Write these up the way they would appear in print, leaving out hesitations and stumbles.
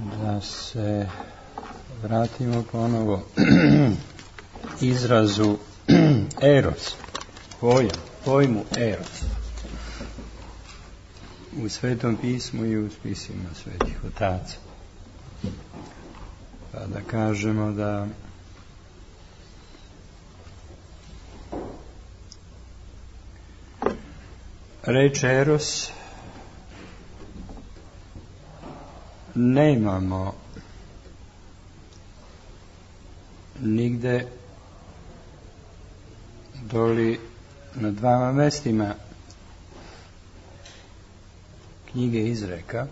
da se vratimo ponovo izrazu eros, pojmu eros u Svetom pismu i u spisima svetih otaca. Pa da kažemo da reč eros nemamo nigde doli na dvama mestima knjige Izreka,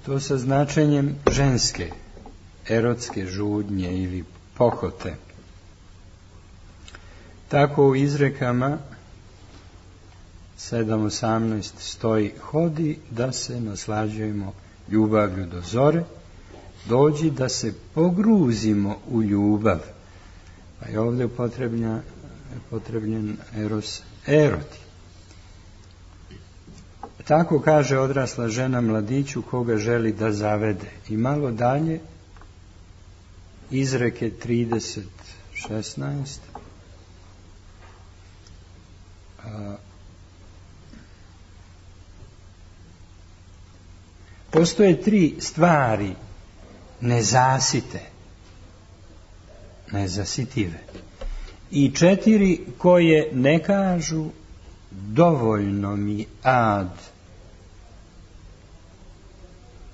to sa značenjem ženske, erotske žudnje ili pohote. Tako u Izrekama 7:18 stoji: hodi da se naslađujemo ljubavlju do zore, dođi da se pogruzimo u ljubav. Pa je ovdje upotrebljen eros, eroti. Tako kaže odrasla žena mladiću koga želi da zavede. I malo dalje, Izreke 30:16. Postoje 3 stvari nezasitive i 4 koje ne kažu dovoljno mi ad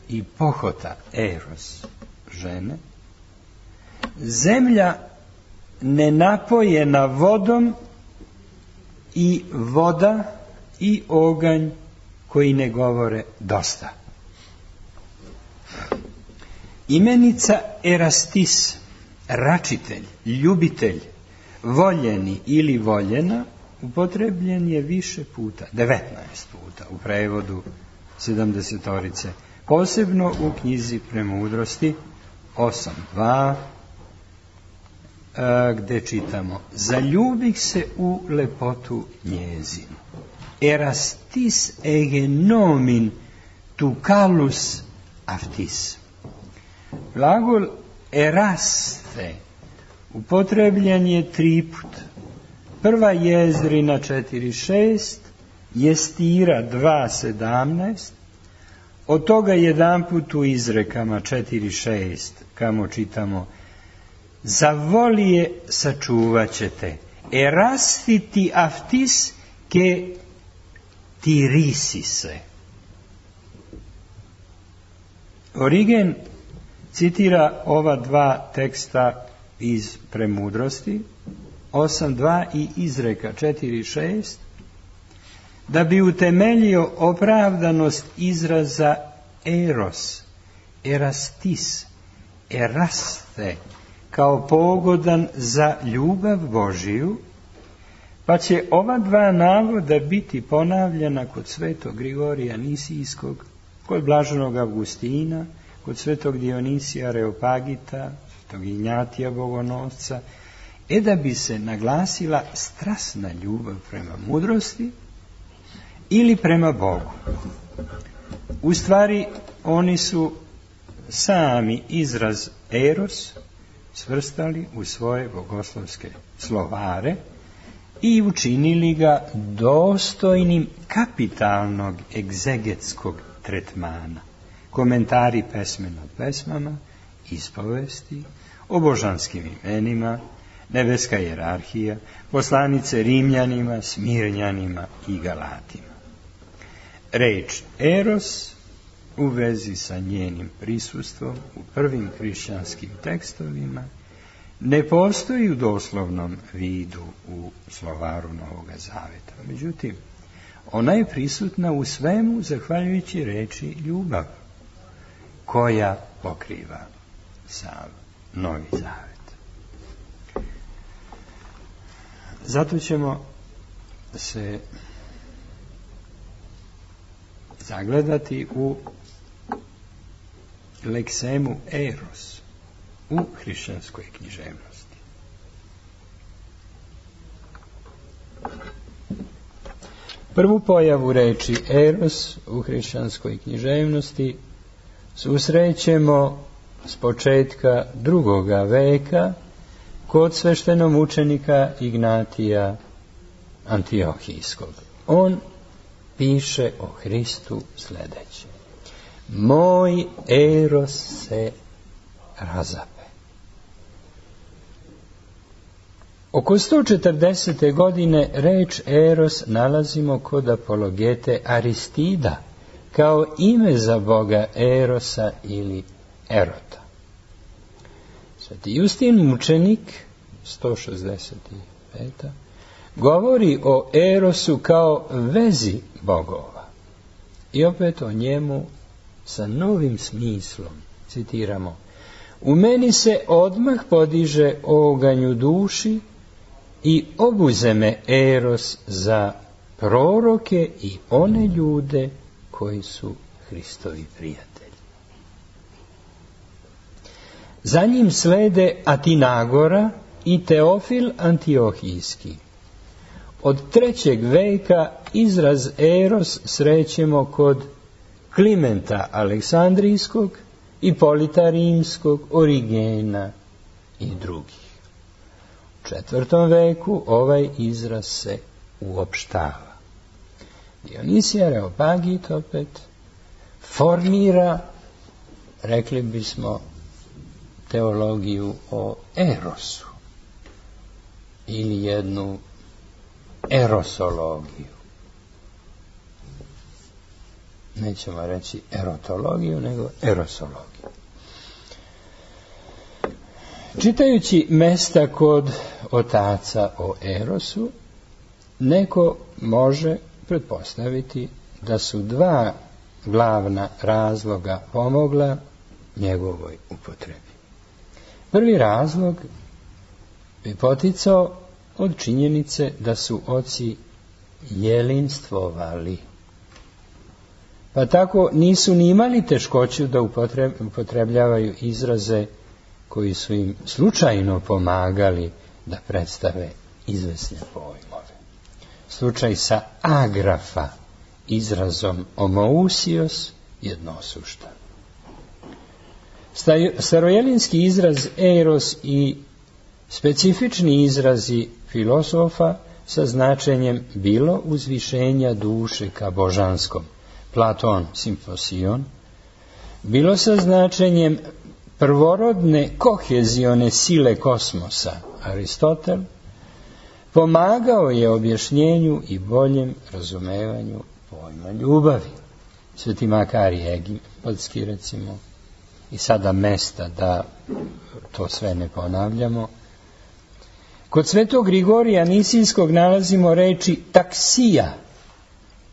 i pohota eros žene, zemlja nenapojena vodom i voda i oganj koji ne govore dosta. Imenica erastis, račitelj, ljubitelj, voljeni ili voljena, upotrebljen je više puta, 19 puta u prevodu 70-orice, posebno u knjizi Premudrosti 8:2, gde čitamo: zaljubih se u lepotu njezinu. Erastis egenomin tu kalus aftis. Glagol eraste upotrebljen je 3 puta. Prva Jezrina 4:6, Jestira 2:17, od toga jedan put u Izrekama 4:6, kamo čitamo: za volije sačuvat ćete, erastiti aftis ke tirisise. Origen citira ova 2 teksta iz Premudrosti 8:2 i Izreka 4:6 da bi utemeljio opravdanost izraza eros, erastis, eraste kao pogodan za ljubav Božiju, pa će ova 2 navoda biti ponavljana kod svetog Grigorija Nisijskog, kod blaženog Avgustina, kod svetog Dionisija Areopagita, svetog Ignjatija Bogonosca, da bi se naglasila strasna ljubav prema mudrosti ili prema Bogu. U stvari, oni su sami izraz eros svrstali u svoje bogoslovske slovare i učinili ga dostojnim kapitalnog egzegetskog tretmana. Komentari pesme nad pesmama, ispovesti, o božanskim imenima, nebeska hijerarhija, poslanice Rimljanima, Smirnjanima i Galatima. Reč eros u vezi sa njenim prisustvom u prvim hrišćanskim tekstovima ne postoji u doslovnom vidu u slovaru Novoga Zaveta. Međutim, ona je prisutna u svemu zahvaljujući reči ljubav, koja pokriva sav Novi Zavet. Zato ćemo se zagledati u leksemu eros u hrišćanskoj književnosti. Prvu pojavu reči eros u hrišćanskoj književnosti susrećemo s početka 2. veka kod sveštenomučenika Ignatija Antiohijskog. On piše o Hristu sljedeće: moj eros se razape. Oko 140. godine reč eros nalazimo kod apologete Aristida kao ime za boga Erosa ili Erota. Sveti Justin mučenik 165. govori o Erosu kao vezi bogova i opet o njemu sa novim smislom. Citiramo: u meni se odmah podiže oganj u duši i obuze me Eros za proroke i one ljude koji su Hristovi prijatelji. Za njim slede Atinagora i Teofil Antiohijski. Od 3. veka izraz eros srećemo kod Klimenta Aleksandrijskog, Ipolita Rimskog, Origena i drugih. U 4. veku ovaj izraz se uopštava. Dionisije Areopagit opet formira, rekli bismo, teologiju o erosu ili jednu erosologiju. Nećemo reći erotologiju, nego erosologiju. Čitajući mesta kod otaca o erosu, neko može pretpostaviti da su 2 glavna razloga pomogla njegovoj upotrebi. Prvi razlog bi poticao od činjenice da su oci jelinstvovali, pa tako nisu ni imali teškoću da upotrebljavaju izraze koji su im slučajno pomagali da predstave izvesne pojmove. Slučaj sa agrafa izrazom omousios jednosuštan. Starojelinski izraz eros i specifični izrazi filosofa sa značenjem bilo uzvišenja duše ka božanskom, Platon simposion, bilo sa značenjem prvorodne kohezione sile kosmosa, Aristotel, pomagao je objašnjenju i boljem razumevanju pojma ljubavi. Sveti Makarij Egipatski, recimo, i sada mesta da to sve ne ponavljamo. Kod svetog Grigorija Nisijskog nalazimo reči taksija,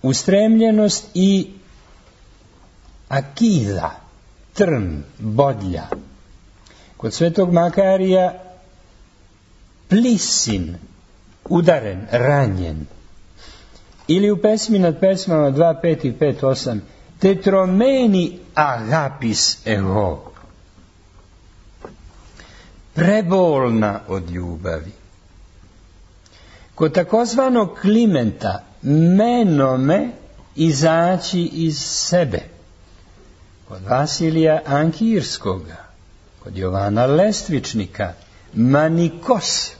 ustremljenost, i akida, trn, bodlja. Kod svetog Makarija plisin, udaren, ranjen. Ili u pesmi nad pesmama 2.5 i 5.8 tetromeni agapis ego, prebolna od ljubavi. Kod takozvanog Klimenta menome, izaći iz sebe. Kod Vasilija Ankirskoga, kod Jovana Lestvičnika manikos,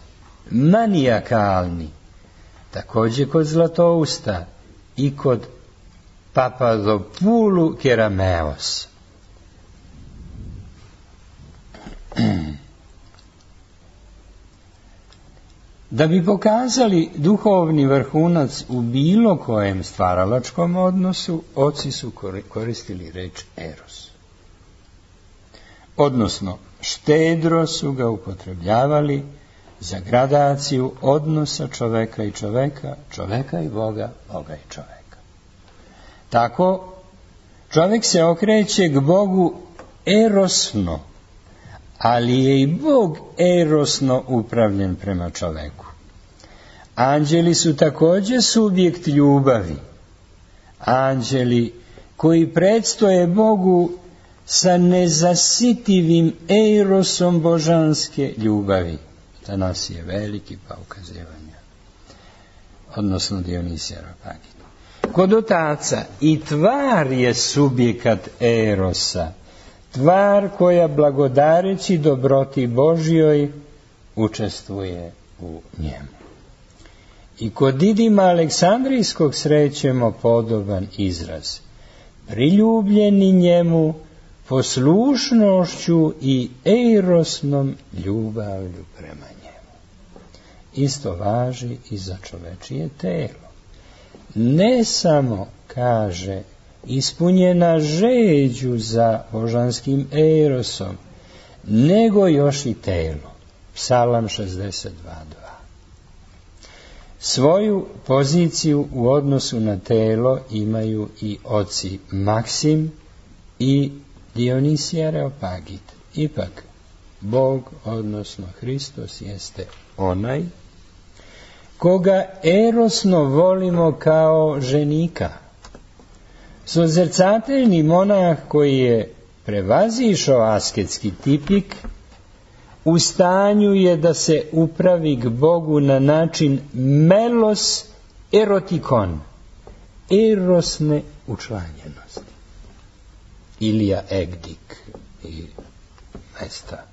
manijakalni. Također kod Zlatousta i kod Papadopulu Kerameos. Da bi pokazali duhovni vrhunac u bilo kojem stvaralačkom odnosu, oci su koristili reč eros. Odnosno, štedro su ga upotrebljavali za gradaciju odnosa čoveka i čoveka, čoveka i Boga, Boga i čoveka. Tako, čovjek se okreće k Bogu erosno, ali je i Bog erosno upravljen prema čoveku. Anđeli su također subjekt ljubavi. Anđeli koji predstoje Bogu sa nezasitivim erosom božanske ljubavi. Atanasije Veliki, pa ukazivanja. Odnosno Dionisije Areopagita. Kod otaca i tvar je subjekat erosa, tvar koja blagodareći dobroti Božjoj učestvuje u njemu. I kod Didima Aleksandrijskog srećemo podoban izraz. Priljubljeni njemu poslušnošću i erosnom ljubavlju prema njemu. Isto važi i za čovečije telo. Ne samo, kaže, ispunjena žeđu za božanskim erosom, nego još i telo. Psalam 62:2. Svoju poziciju u odnosu na telo imaju i oci Maksim i Dionisije Areopagit. Ipak, Bog, odnosno Hristos, jeste onaj koga erosno volimo kao ženika. Sozrcateljni monah koji je prevazišao asketski tipik, u stanju je da se upravi k Bogu na način melos erotikon, erosne učlanjenosti. Ilija Egdik i mesta.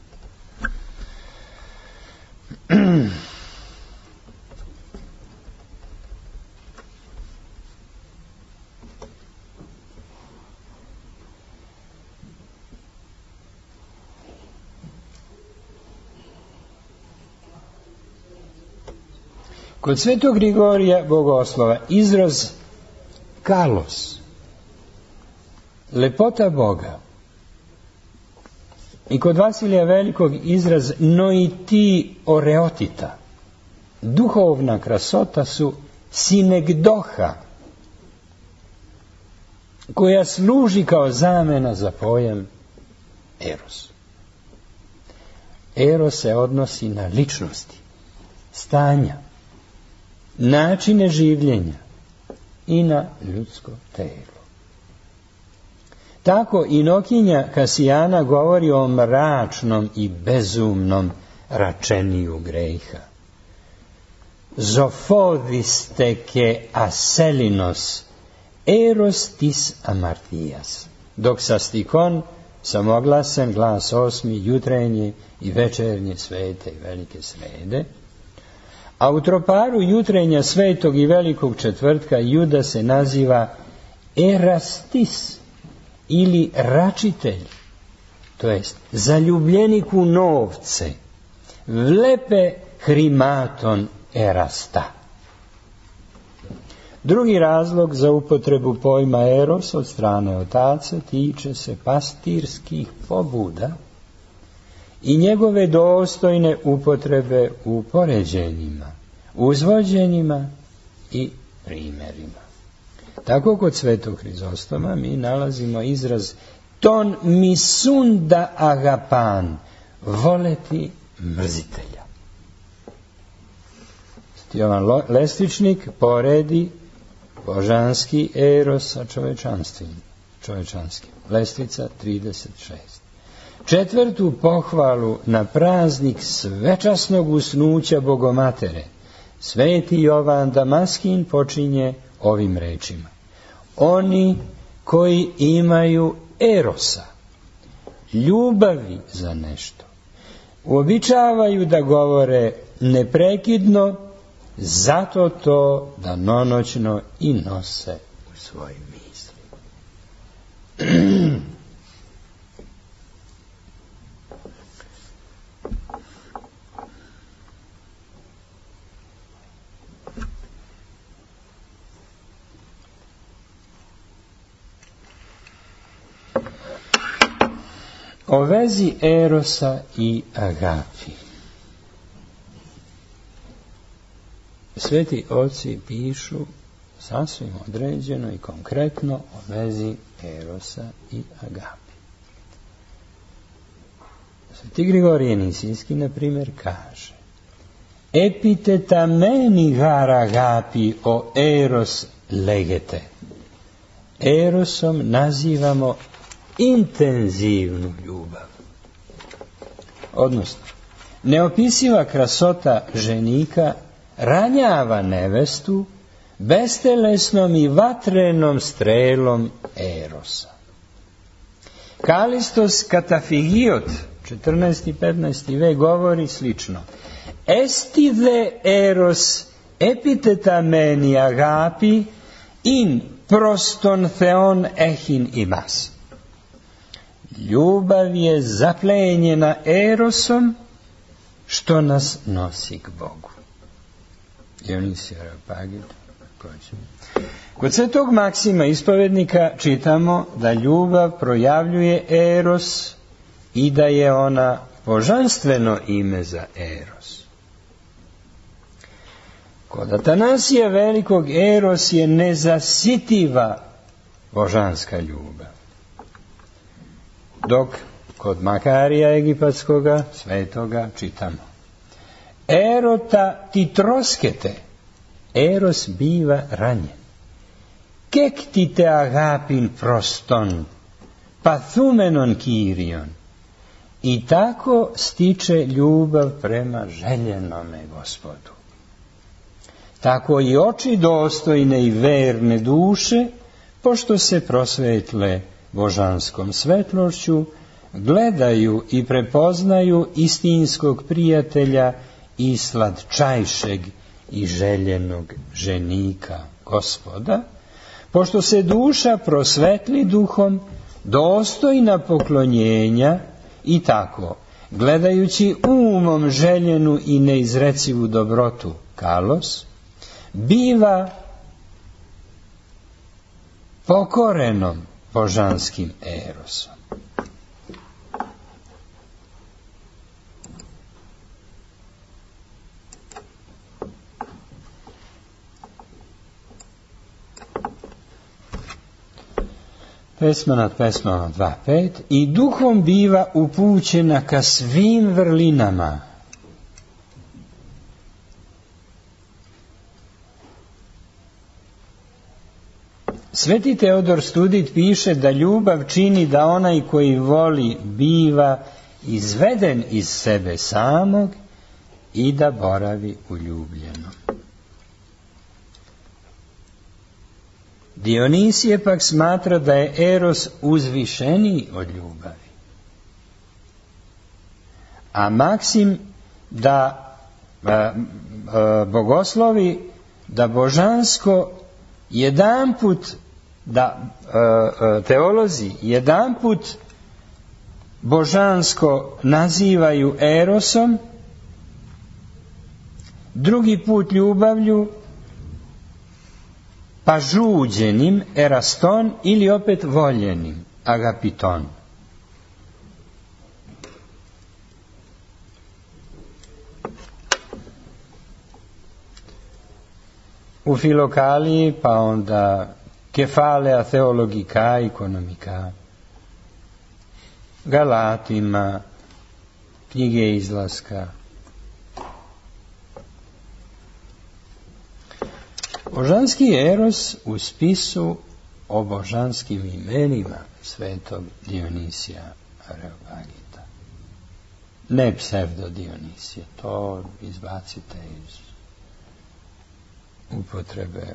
Kod Svetog Grigorija Bogoslova izraz kalos, lepota Boga, i kod Vasilija Velikog izraz noiti oreotita, duhovna krasota, su sinegdoha, koja služi kao zamena za pojam eros. Eros se odnosi na ličnosti, stanja, načine življenja i na ljudsko telo. Tako Inokinja Kasijana govori o mračnom i bezumnom račeniju greha. Zofodisteke aselinos eros tis amartijas. Dok sastikon samoglasen glas 8. jutrenje i večernje svete i velike srede, a u troparu jutrenja svetog i velikog četvrtka Juda se naziva erastis ili račitelj, to jest zaljubljenik u novce, vlepe hrimaton erasta. Drugi razlog za upotrebu pojma eros od strane otaca tiče se pastirskih pobuda i njegove dostojne upotrebe u poređenjima, uzvođenjima i primjerima. Tako kod Svetog Hrizostoma mi nalazimo izraz ton misunda agapan, voleti mrzitelja. Jovan Lestičnik poredi božanski eros sa čovečanskim. Lestvica 36. Četvrtu pohvalu na praznik svečasnog usnuća Bogomatere Sveti Jovan Damaskin počinje ovim rečima: oni koji imaju erosa, ljubavi za nešto, uobičavaju da govore neprekidno, zato to danonoćno i nose u svojim mislima. O vezi erosa i agapi. Sveti oci pišu sasvim određeno i konkretno o vezi erosa i agapi. Sveti Grigorije Nisijski, na primjer, kaže: epiteta meni gar agapi o eros legete. Erosom nazivamo intenzivnu ljubav. Odnosno, neopisiva krasota ženika ranjava nevestu bestelesnom i vatrenom strelom Erosa. Kalistos Katafigiot, 14. i 15. vek, govori slično. Estide Eros epiteta meni agapi in proston theon echin imas. Ljubav je zaplenjena Erosom, što nas nosi k Bogu. Dionisije Areopagita. Kod svetog Maksima ispovednika čitamo da ljubav projavljuje Eros i da je ona božanstveno ime za Eros. Kod Atanasija Velikog Eros je nezasitiva božanska ljubav. Dok kod Makarija Egipatskoga svetoga čitamo: Erota ti troskete, Eros biva ranjen. Kek ti te agapin proston, pathumenon Kyrion. I tako stiče ljubav prema željenome Gospodu. Tako i oči dostojne i verne duše, pošto se prosvetle božanskom svetlošću, gledaju i prepoznaju istinskog prijatelja i slatčajšeg i željenog ženika Gospoda, pošto se duša prosvetli duhom, dostojna poklonjenja, i tako, gledajući umom željenu i neizrecivu dobrotu kalos, biva pokorenom božanskim Erosom. Pesma nad pesmama 2.5. I duhom biva upućena ka svim vrlinama. Sveti Teodor Studit piše da ljubav čini da onaj koji voli biva izveden iz sebe samog i da boravi u ljubljenom. Dionisije pak smatra da je Eros uzvišeniji od ljubavi. A Maksim da bogoslovi da božansko jedanput, da teolozi jedanput božansko nazivaju Erosom, drugi put ljubavlju, pa žuđenim, eraston, ili opet voljenim, agapiton. U Filokaliji, pa onda Kefalea Theologika Ikonomika, Galatima, knjige Izlaska. Božanski Eros u spisu o božanskim imenima svetog Dionisija Areopagita. Ne psevdo Dionisije, to izbacite iz upotrebe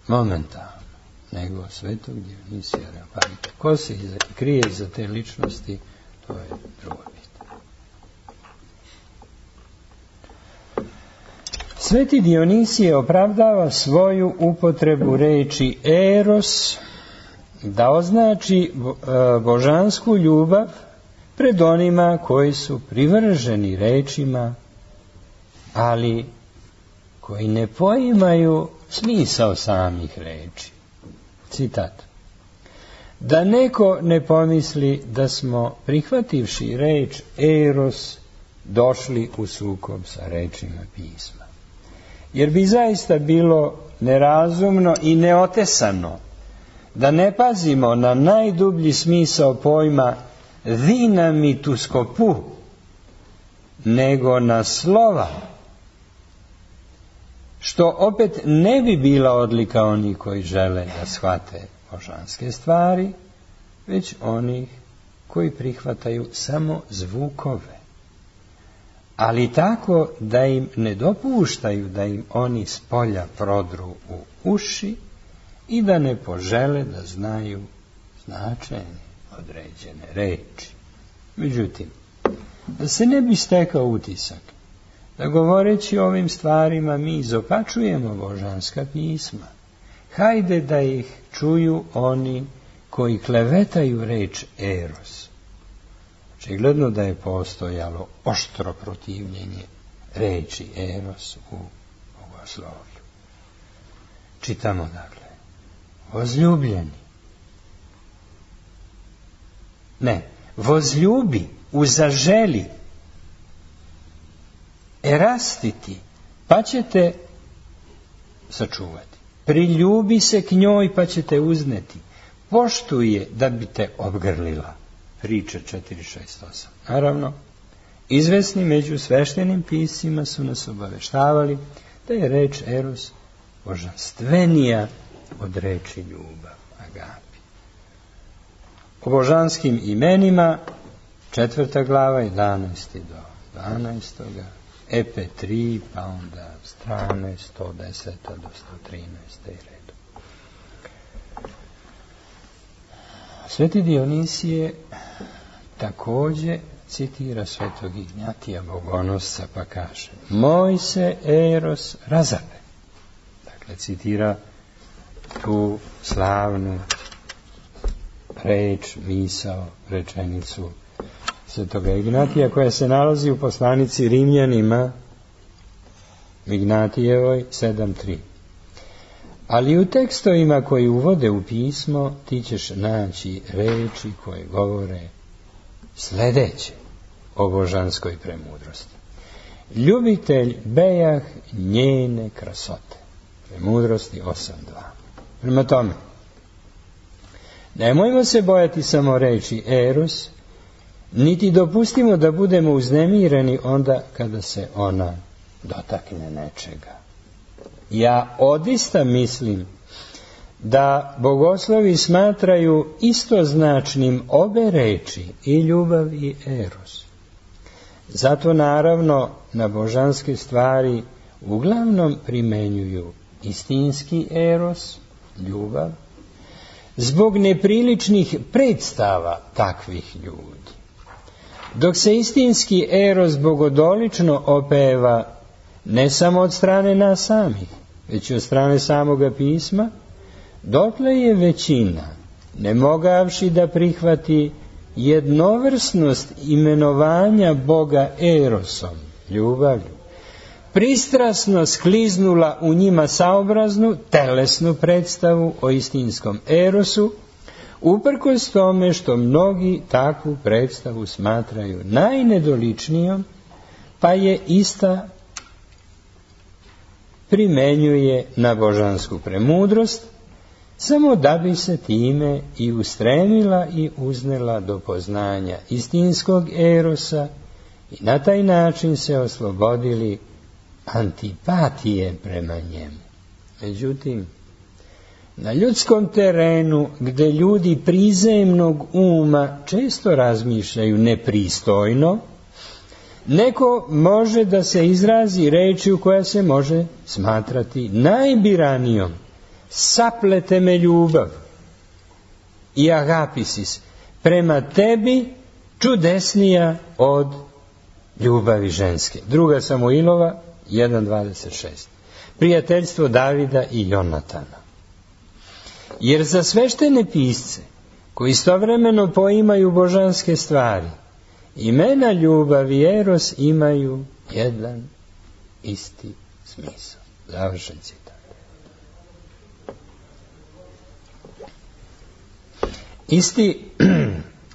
momentalno, nego svetog Dionisija Areopagita. Ko se krije iza te ličnosti, to je drugo pitanje. Sveti Dionisije opravdava svoju upotrebu reči Eros da označi božansku ljubav pred onima koji su privrženi rečima, ali koji ne poimaju smisao samih reči. Citat: da neko ne pomisli da smo, prihvativši reč Eros, došli u sukob sa rečima pisma. Jer bi zaista bilo nerazumno i neotesano da ne pazimo na najdublji smisao pojma dinamituskopu, nego na slova, što opet ne bi bila odlika onih koji žele da shvate božanske stvari, već onih koji prihvataju samo zvukove. ali tako da im ne dopuštaju da im oni spolja prodru u uši i da ne požele da znaju značenje određene reči. Međutim, da se ne bi stekao utisak da govoreći o ovim stvarima mi izopačujemo božanska pisma, hajde da ih čuju oni koji klevetaju reč eros. Očigledno da je postojalo oštro protivljenje reči eros u bogoslovlju. Čitamo dakle, возлюбljeni. Ne, возлюbi, uzaželi, erastiti, pa ćete sačuvati. Priljubi se k njoj, pa ćete uzneti. Poštuje da bi te obgrlila. Priče 4.6.8. Naravno, izvesni među sveštenim piscima su nas obaveštavali da je reč eros božanstvenija od reči ljubav, agapi. O božanskim imenima, 4. glava, 11. do 12. EP3, pa onda strane 110. do 113. redu. Sveti Dionisije također citira svetog Ignjatija Bogonosca pa kaže: moj se eros razape. Dakle, citira tu slavnu reč, misao, rečenicu svetoga Ignatija koja se nalazi u poslanici Rimljanima Ignatijevoj 7.3. Ali u tekstovima koji uvode u pismo ti ćeš naći reči koje govore sljedeće o božanskoj premudrosti. Ljubitelj bejah njene krasote. Premudrosti 8.2. Prema tome, nemojmo se bojati samo reči eros, niti dopustimo da budemo uznemireni onda kada se ona dotakne nečega. Ja odista mislim da bogoslovi smatraju istoznačnim obe reči, i ljubav i eros. Zato naravno na božanske stvari uglavnom primenjuju istinski eros, ljubav, zbog nepriličnih predstava takvih ljudi. Dok se istinski eros bogodolično opeva ne samo od strane nas samih, već i od strane samoga pisma, dotle je većina, ne mogavši da prihvati jednovrsnost imenovanja Boga erosom, ljubavlju, pristrasno skliznula u njima saobraznu, telesnu predstavu o istinskom erosu, uprkos tome što mnogi takvu predstavu smatraju najnedoličnijom, pa je ista primenjuje na božansku premudrost, samo da bi se time i ustremila i uznela do poznanja istinskog erosa i na taj način se oslobodili antipatije prema njemu. Međutim, na ljudskom terenu, gde ljudi prizemnog uma često razmišljaju nepristojno, neko može da se izrazi rečju koja se može smatrati najbiranijom. Saplete me ljubav i agapisis prema tebi čudesnija od ljubavi ženske. 2. Samuilova 1.26. Prijateljstvo Davida i Jonatana. Jer za sveštene pisce koji istovremeno poimaju božanske stvari, imena ljubav i eros imaju jedan isti smisao. Završen citat. Isti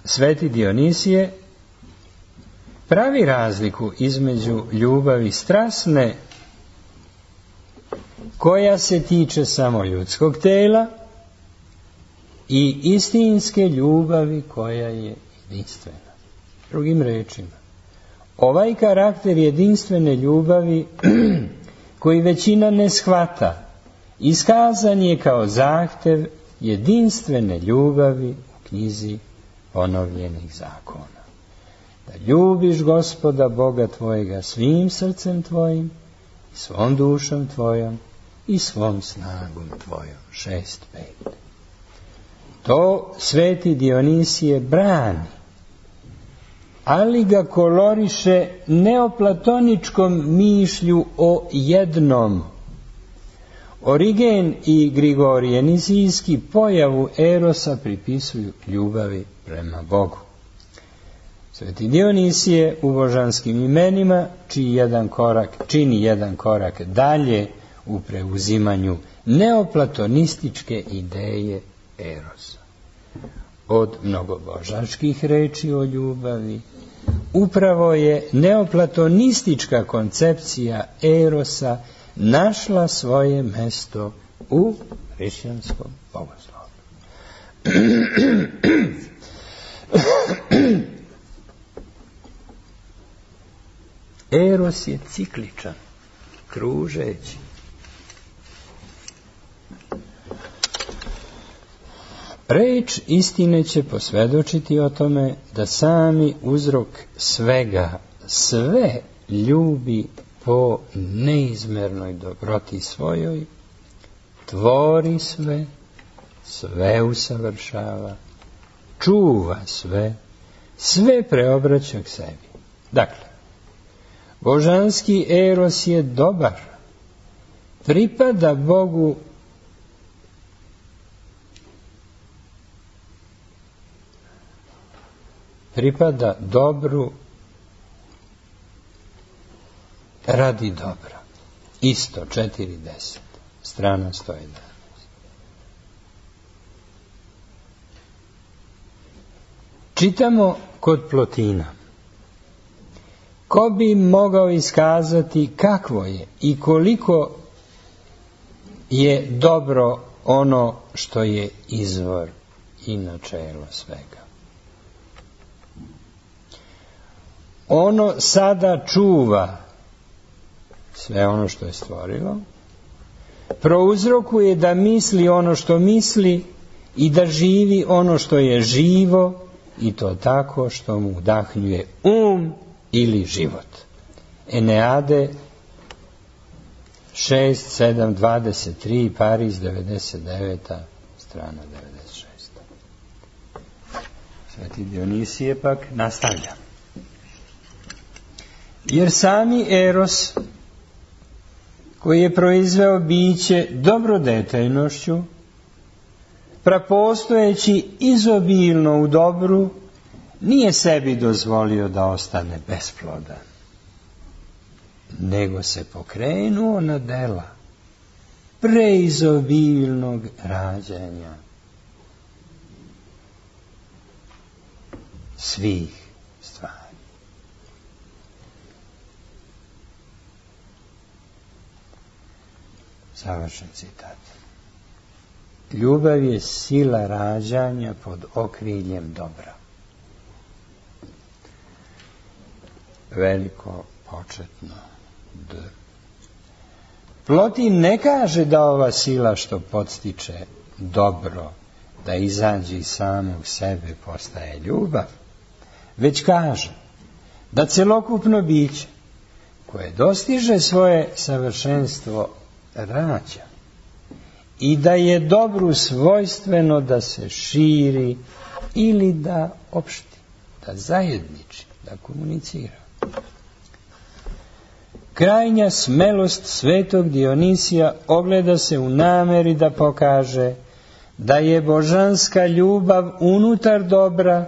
sveti Dionisije pravi razliku između ljubavi strasne, koja se tiče samo ljudskog tela, i istinske ljubavi koja je jedinstvena. Drugim rečima, ovaj karakter jedinstvene ljubavi koji većina ne shvata, iskazan je kao zahtev jedinstvene ljubavi u knjizi ponovljenih zakona. da ljubiš Gospoda Boga tvojega svim srcem tvojim, svom dušom tvojom i svom snagom tvojom. 6.5. To sveti Dionisije brani, ali ga koloriše neoplatoničkom mišlju o jednom. Origen i Grigorije Nizijski pojavu erosa pripisuju ljubavi prema Bogu. Sveti Dionisije u božanskim imenima čini jedan korak dalje u preuzimanju neoplatonističke ideje erosa. Od mnogobožačkih reči o ljubavi upravo je neoplatonistička koncepcija erosa našla svoje mesto u hrišćanskom bogoslovlju. Eros je cikličan, kružeći. Reč istine će posvjedočiti o tome da sami uzrok svega, sve ljubi po neizmernoj dobroti svojoj, tvori sve, sve usavršava, čuva sve, sve preobraća k sebi. Dakle, božanski eros je dobar, pripada Bogu dobru radi dobra. Isto 4.10, strana 111. Čitamo kod Plotina. Ko bi mogao iskazati kakvo je i koliko je dobro ono što je izvor i načelo svega. Ono sada čuva sve ono što je stvorilo, prouzrokuje da misli ono što misli i da živi ono što je živo, i to tako što mu udahnjuje ili život. Eneade 6.7.23, Pariz 99, strana 96. Sveti Dionisije pak nastavlja. Jer sami eros, koji je proizveo biće dobrodetejnošću, prapostojeći izobilno u dobru, nije sebi dozvolio da ostane besplodan, nego se pokrenuo na dela preizobilnog rađanja svih stvari. Završen citat. Ljubav je sila rađanja pod okriljem dobra. Veliko početno D. Plotin ne kaže da ova sila što podstiče dobro, da izađe iz samog sebe postaje ljubav, već kaže da celokupno biće koje dostiže svoje savršenstvo rađa i da je dobru svojstveno da se širi ili da opšti, da zajedniči, da komunicira. Krajnja smelost svetog Dionisija ogleda se u nameri da pokaže da je božanska ljubav unutar dobra,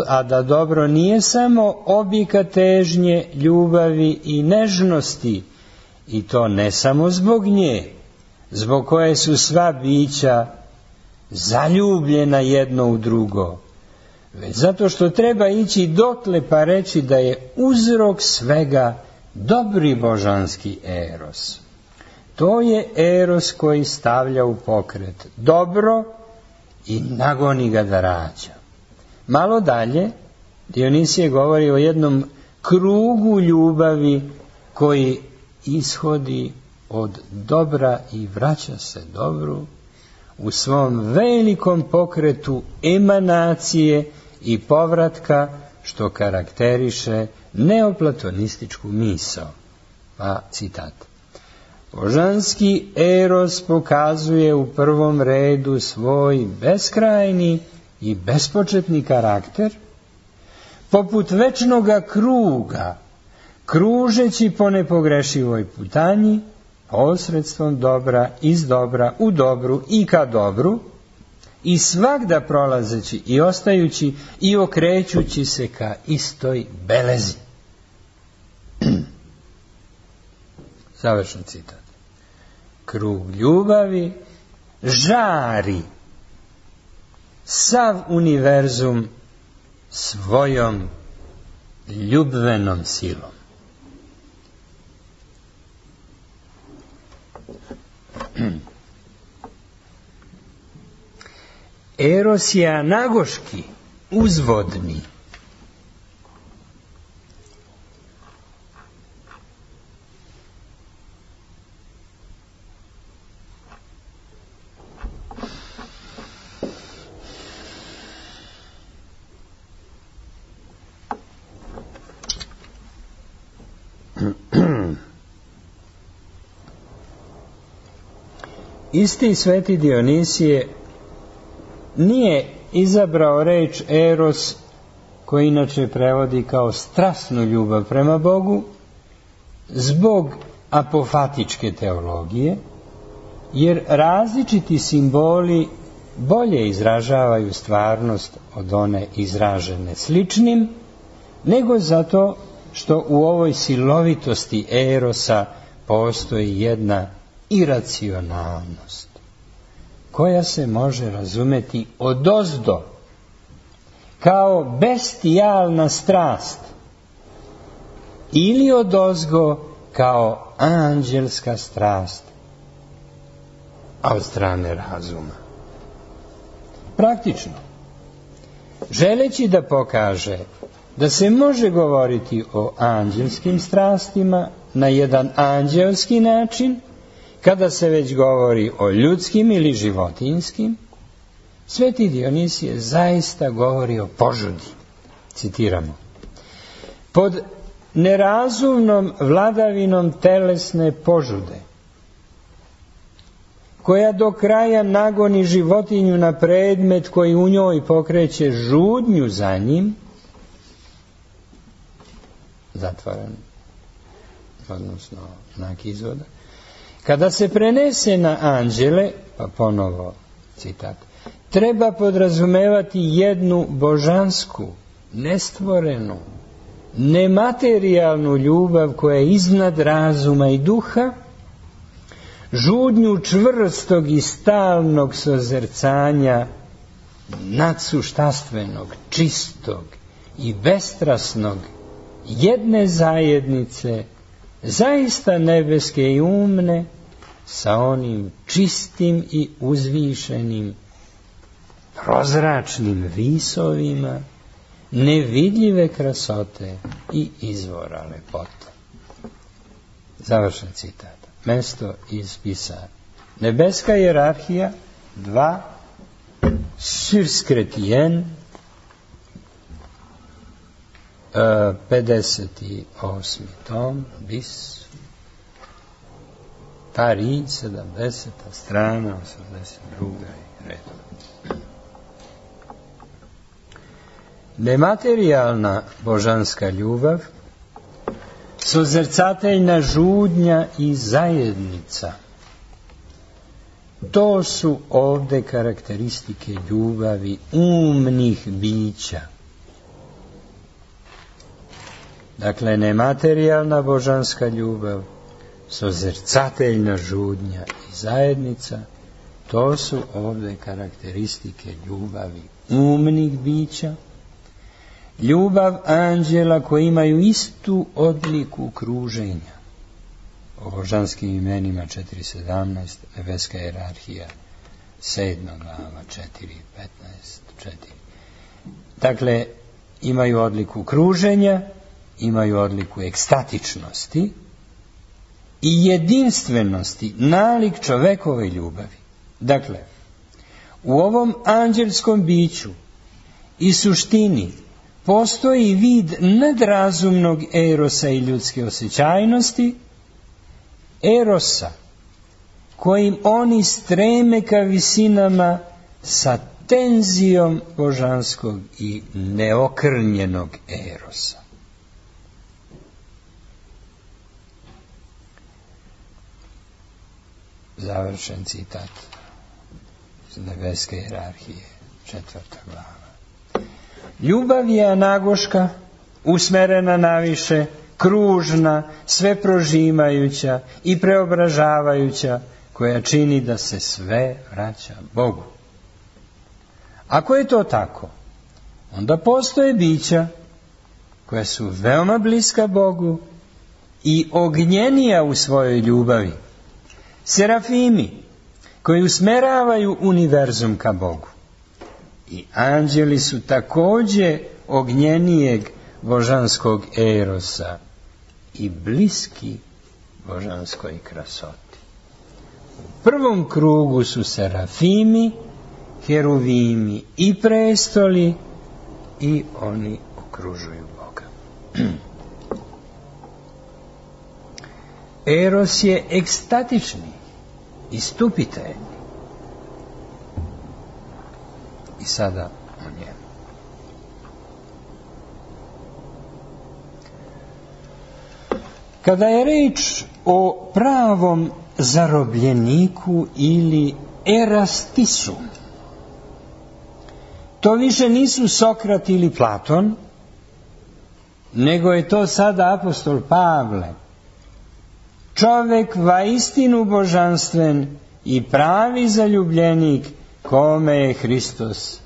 a da dobro nije samo objeka težnje, ljubavi i nežnosti, i to ne samo zbog nje, zbog koje su sva bića zaljubljena jedno u drugo, već zato što treba ići dotle pa reći da je uzrok svega dobri božanski eros. To je eros koji stavlja u pokret dobro i nagoni ga da rađa. Malo dalje Dionisije govori o jednom krugu ljubavi koji ishodi od dobra i vraća se dobru u svom velikom pokretu emanacije i povratka što karakteriše neoplatonističku misao. Pa citat. Božanski eros pokazuje u prvom redu svoj beskrajni i bespočetni karakter, poput večnoga kruga, kružeći po nepogrešivoj putanji, posredstvom dobra, iz dobra, u dobru i ka dobru, i svagda prolazeći i ostajući i okrećući se ka istoj belezi. Završen citat. Krug ljubavi žari sav univerzum svojom ljubvenom silom. Eros je anagoški, uzvodni. Isti sveti Dionisije nije izabrao reč eros, koji inače prevodi kao strasnu ljubav prema Bogu, zbog apofatičke teologije, jer različiti simboli bolje izražavaju stvarnost od one izražene sličnim, nego zato što u ovoj silovitosti erosa postoji jedna iracionalnost, koja se može razumeti odozdo kao bestijalna strast ili odozgo kao anđelska strast, a od strane razuma. Praktično, želeći da pokaže da se može govoriti o anđelskim strastima na jedan anđelski način, kada se već govori o ljudskim ili životinjskim, sveti Dionisije zaista govori o požudi. Citiramo. Pod nerazumnom vladavinom telesne požude, koja do kraja nagoni životinju na predmet koji u njoj pokreće žudnju za njim, zatvaran, odnosno znak izvoda, kada se prenese na anđele, pa ponovo citat, treba podrazumevati jednu božansku, nestvorenu, nematerijalnu ljubav koja je iznad razuma i duha, žudnju čvrstog i stalnog sozercanja nadsuštastvenog, čistog i bestrasnog jedne zajednice, zaista nebeske i umne, sa onim čistim i uzvišenim prozračnim visovima nevidljive krasote i izvora lepote. Završen citat. Mesto iz Pisara. Nebeska hijerarhija 2 sur Chrétien 58. tom bis Paris 70. strana 82. redom. Nematerijalna božanska ljubav, sozercateljna žudnja i zajednica, to su ovde karakteristike ljubavi umnih bića. Dakle, nematerijalna božanska ljubav, sozercateljna žudnja i zajednica, to su ovde karakteristike ljubavi umnih bića, ljubav anđela koji imaju istu odliku kruženja. O božanskim imenima 4.17, nebeska hijerarhija 7. glava 4.15, 4. Dakle, imaju odliku kruženja, imaju odliku ekstatičnosti i jedinstvenosti, nalik čovekove ljubavi. Dakle, u ovom anđelskom biću i suštini postoji vid nadrazumnog erosa i ljudske osjećajnosti, erosa kojim oni streme ka visinama sa tenzijom božanskog i neokrnjenog erosa. Završen citat iz nebeske hijerarhije, 4. glava. Ljubav je anagoška, usmerena naviše, kružna, sve prožimajuća i preobražavajuća, koja čini da se sve vraća Bogu. Ako je to tako, onda postoje bića koja su veoma bliska Bogu i ognjenija u svojoj ljubavi. Serafimi, koji usmeravaju univerzum ka Bogu. I anđeli su također ognjenijeg božanskog erosa i bliski božanskoj krasoti. U prvom krugu su serafimi, heruvimi i prestoli i oni okružuju Boga. Eros je ekstatični, istupitelji. I sada o njemu. Kada je reč o pravom zarobljeniku ili erastisu, to više nisu Sokrat ili Platon, nego je to sada apostol Pavle. Čovek vaistinu božanstven i pravi zaljubljenik, kome je Hristos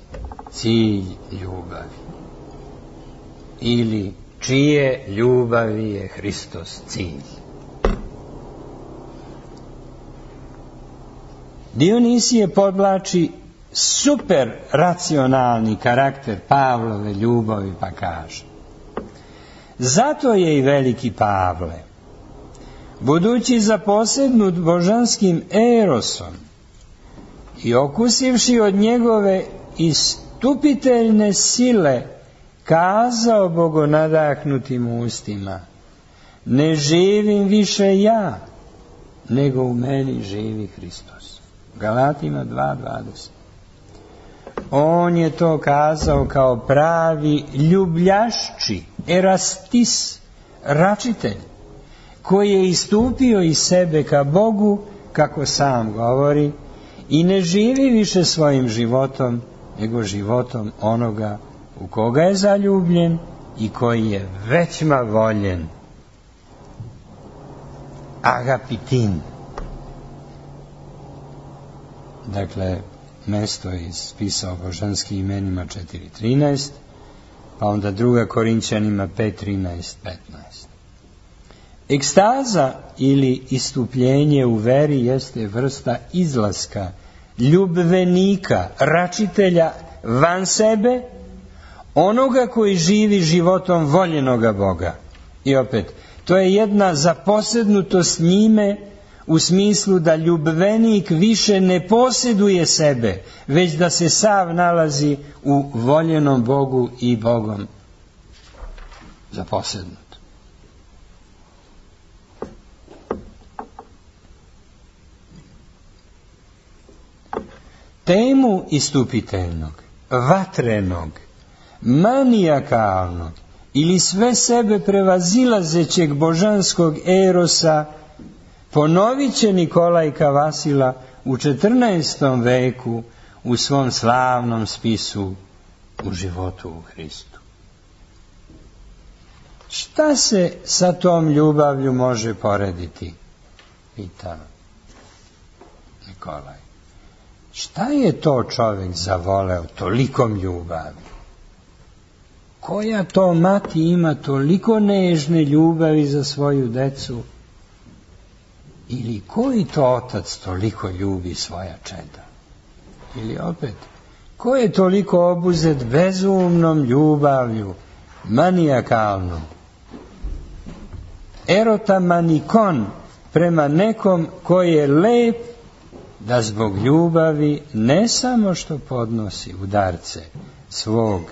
cilj ljubavi. Ili čije ljubavi je Hristos cilj. Dionisije podvlači super racionalni karakter Pavlove ljubavi pa kaže: zato je i veliki Pavle, budući zaposednut božanskim erosom i okusivši od njegove istupiteljne sile, kazao bogonadahnutim ustima: ne živim više ja, nego u meni živi Hristos. Galatima 2:20. On je to kazao kao pravi ljubljašči, erastis, račitelj, koji je istupio iz sebe ka Bogu, kako sam govori, i ne živi više svojim životom, nego životom onoga u koga je zaljubljen i koji je većma voljen. Agapitin. Dakle, mesto iz spisa o božanskim imenima 4.13, pa onda 2. Korinćanima 5.13-15. Ekstaza ili istupljenje u veri jeste vrsta izlaska ljubvenika, račitelja van sebe, onoga koji živi životom voljenoga Boga. I opet, to je jedna zaposednutost njime, u smislu da ljubvenik više ne posjeduje sebe, već da se sav nalazi u voljenom Bogu i Bogom zaposednut. Temu istupiteljnog, vatrenog, manijakalnog ili sve sebe prevazilazećeg božanskog erosa ponovit će Nikolaj Kavasila u 14. veku u svom slavnom spisu U životu u Hristu. Šta se sa tom ljubavlju može porediti? Pita Nikolaj. Šta je to čovjek zavoleo tolikom ljubavi? Koja to mati ima toliko nežne ljubavi za svoju decu? Ili koji to otac toliko ljubi svoja čeda? Ili opet, ko je toliko obuzet bezumnom ljubavlju, manijakalnom? Erotamannikon prema nekom koji je lep, da zbog ljubavi ne samo što podnosi udarce svog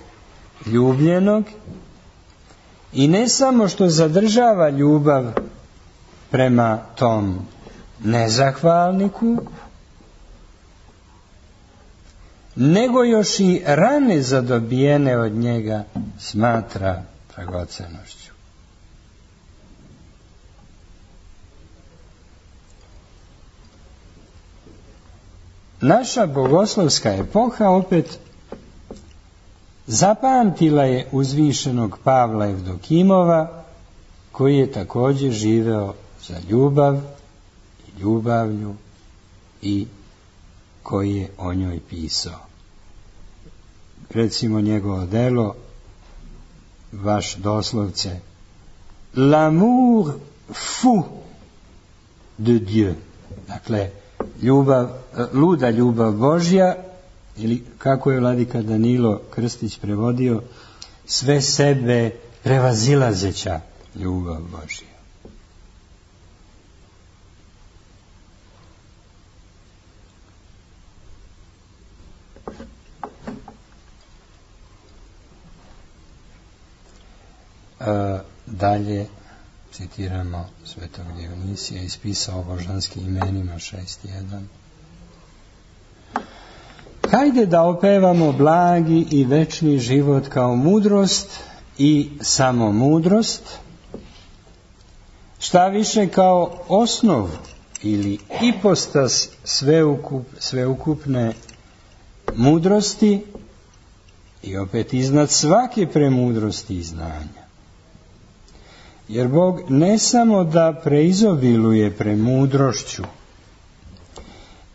ljubljenog i ne samo što zadržava ljubav prema tom nezahvalniku, nego još i rane zadobijene od njega smatra dragocenošću. Naša bogoslovska epoha opet zapamtila je uzvišenog Pavla Evdokimova, koji je također živeo za ljubav i ljubavlju i koji je o njoj pisao. Recimo njegovo delo, vaš doslovce, L'amour fou de Dieu. Dakle, luda ljubav Božja, ili kako je vladika Danilo Krstić prevodio, sve sebe prevazilazeća ljubav Božja. Dalje citiramo svetog Dionisija, ispisao o božanskim imenima 6.1. Hajde da opevamo blagi i večni život kao mudrost i samo mudrost, šta više kao osnov ili ipostas sveukupne mudrosti i opet iznad svake premudrosti i znanja. Jer Bog ne samo da preizobiluje premudrošću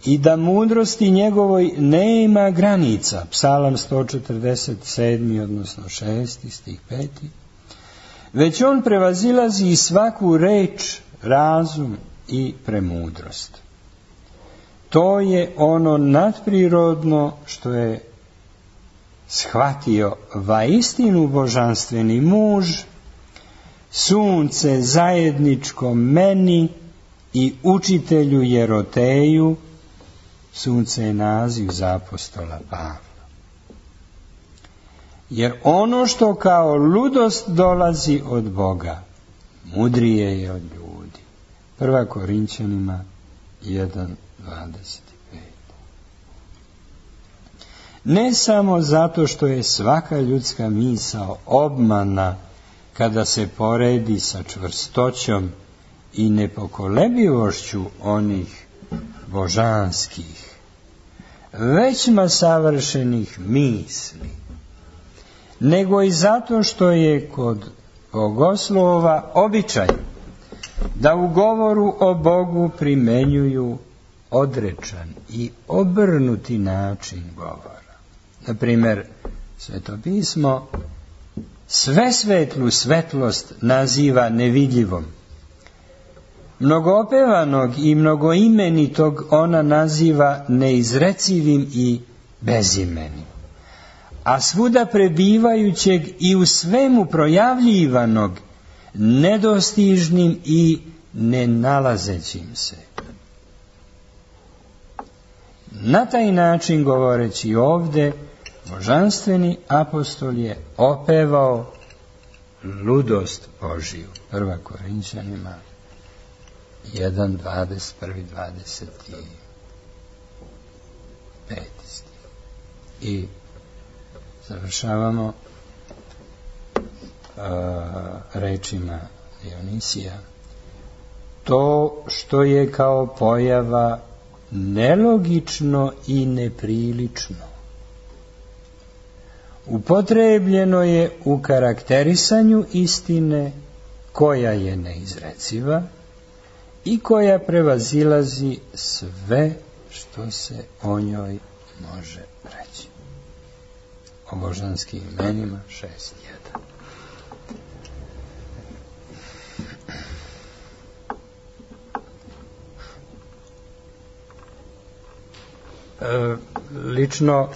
i da mudrosti njegovoj nema granica, Psalam 147, odnosno 6, stih 5, već on prevazilazi svaku reč, razum i premudrost. To je ono nadprirodno što je shvatio vaistinu božanstveni muž, sunce zajedničko meni i učitelju Jeroteju. Sunce je naziv za apostola Pavla. Jer ono što kao ludost dolazi od Boga, mudrije je od ljudi. 1. Korinćanima 1.25. Ne samo zato što je svaka ljudska misao obmana kada se poredi sa čvrstoćom i nepokolebljivošću onih božanskih, većma savršenih misli, nego i zato što je kod bogoslova običaj da u govoru o Bogu primenjuju odrečan i obrnuti način govora. Na primjer, Sveto pismo sve svetlu svetlost naziva nevidljivom. Mnogoopevanog i mnogoimenitog ona naziva neizrecivim i bezimenim. A svuda prebivajućeg i u svemu projavljivanog nedostižnim i nenalazećim se. Na taj način, govoreći ovdje, božanstveni apostol je opevao ludost Božiju. 1. Korinćanima 1.21.25. I završavamo rečima Dionisija. To što je kao pojava nelogično i neprilično, upotrebljeno je u karakterisanju istine koja je neizreciva i koja prevazilazi sve što se o njoj može reći. O božanskim imenima 6.1. Lično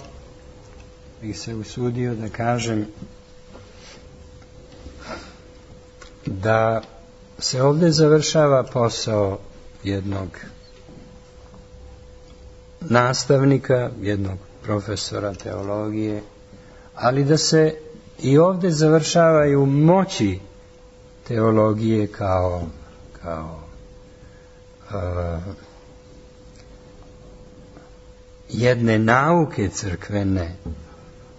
bih se usudio da kažem da se ovdje završava posao jednog nastavnika, jednog profesora teologije, ali da se I ovdje završavaju moći teologije kao jedne nauke crkvene,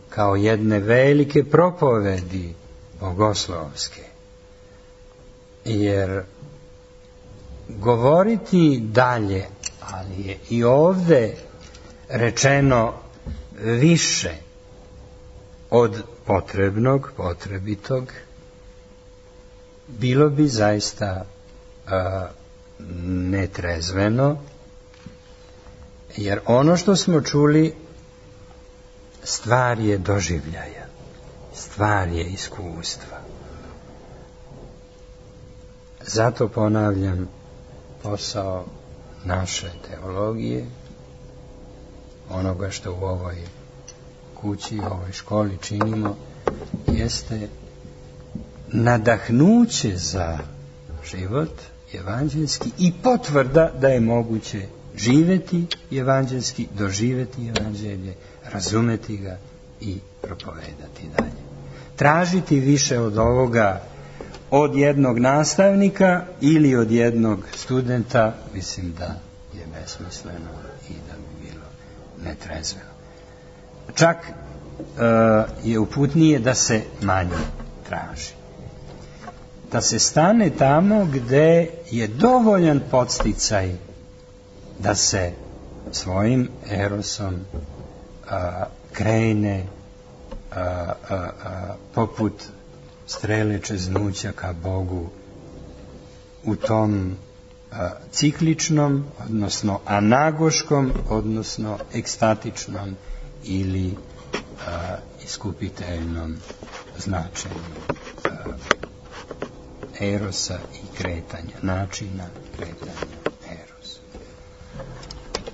kao jedne velike propovedi bogoslovske. Jer govoriti dalje, ali je i ovdje rečeno više od potrebnog, potrebitog, bilo bi zaista netrezveno, jer ono što smo čuli stvar je doživljaja, stvar je iskustva. Zato ponavljam, posao naše teologije, onoga što u ovoj kući, u ovoj školi činimo, jeste nadahnuće za život evanđelski i potvrda da je moguće živjeti evanđelski, doživjeti evanđelje, razumeti ga i propovedati dalje. Tražiti više od ovoga od jednog nastavnika ili od jednog studenta, mislim da je besmisleno i da bi bilo netrezveno. Čak je uputnije da se manje traži. Da se stane tamo gde je dovoljan podsticaj da se svojim erosom krene poput strele čeznuća ka Bogu u tom cikličnom, odnosno anagoškom, odnosno ekstatičnom ili iskupiteljnom značenju erosa i kretanja, načina kretanja erosa.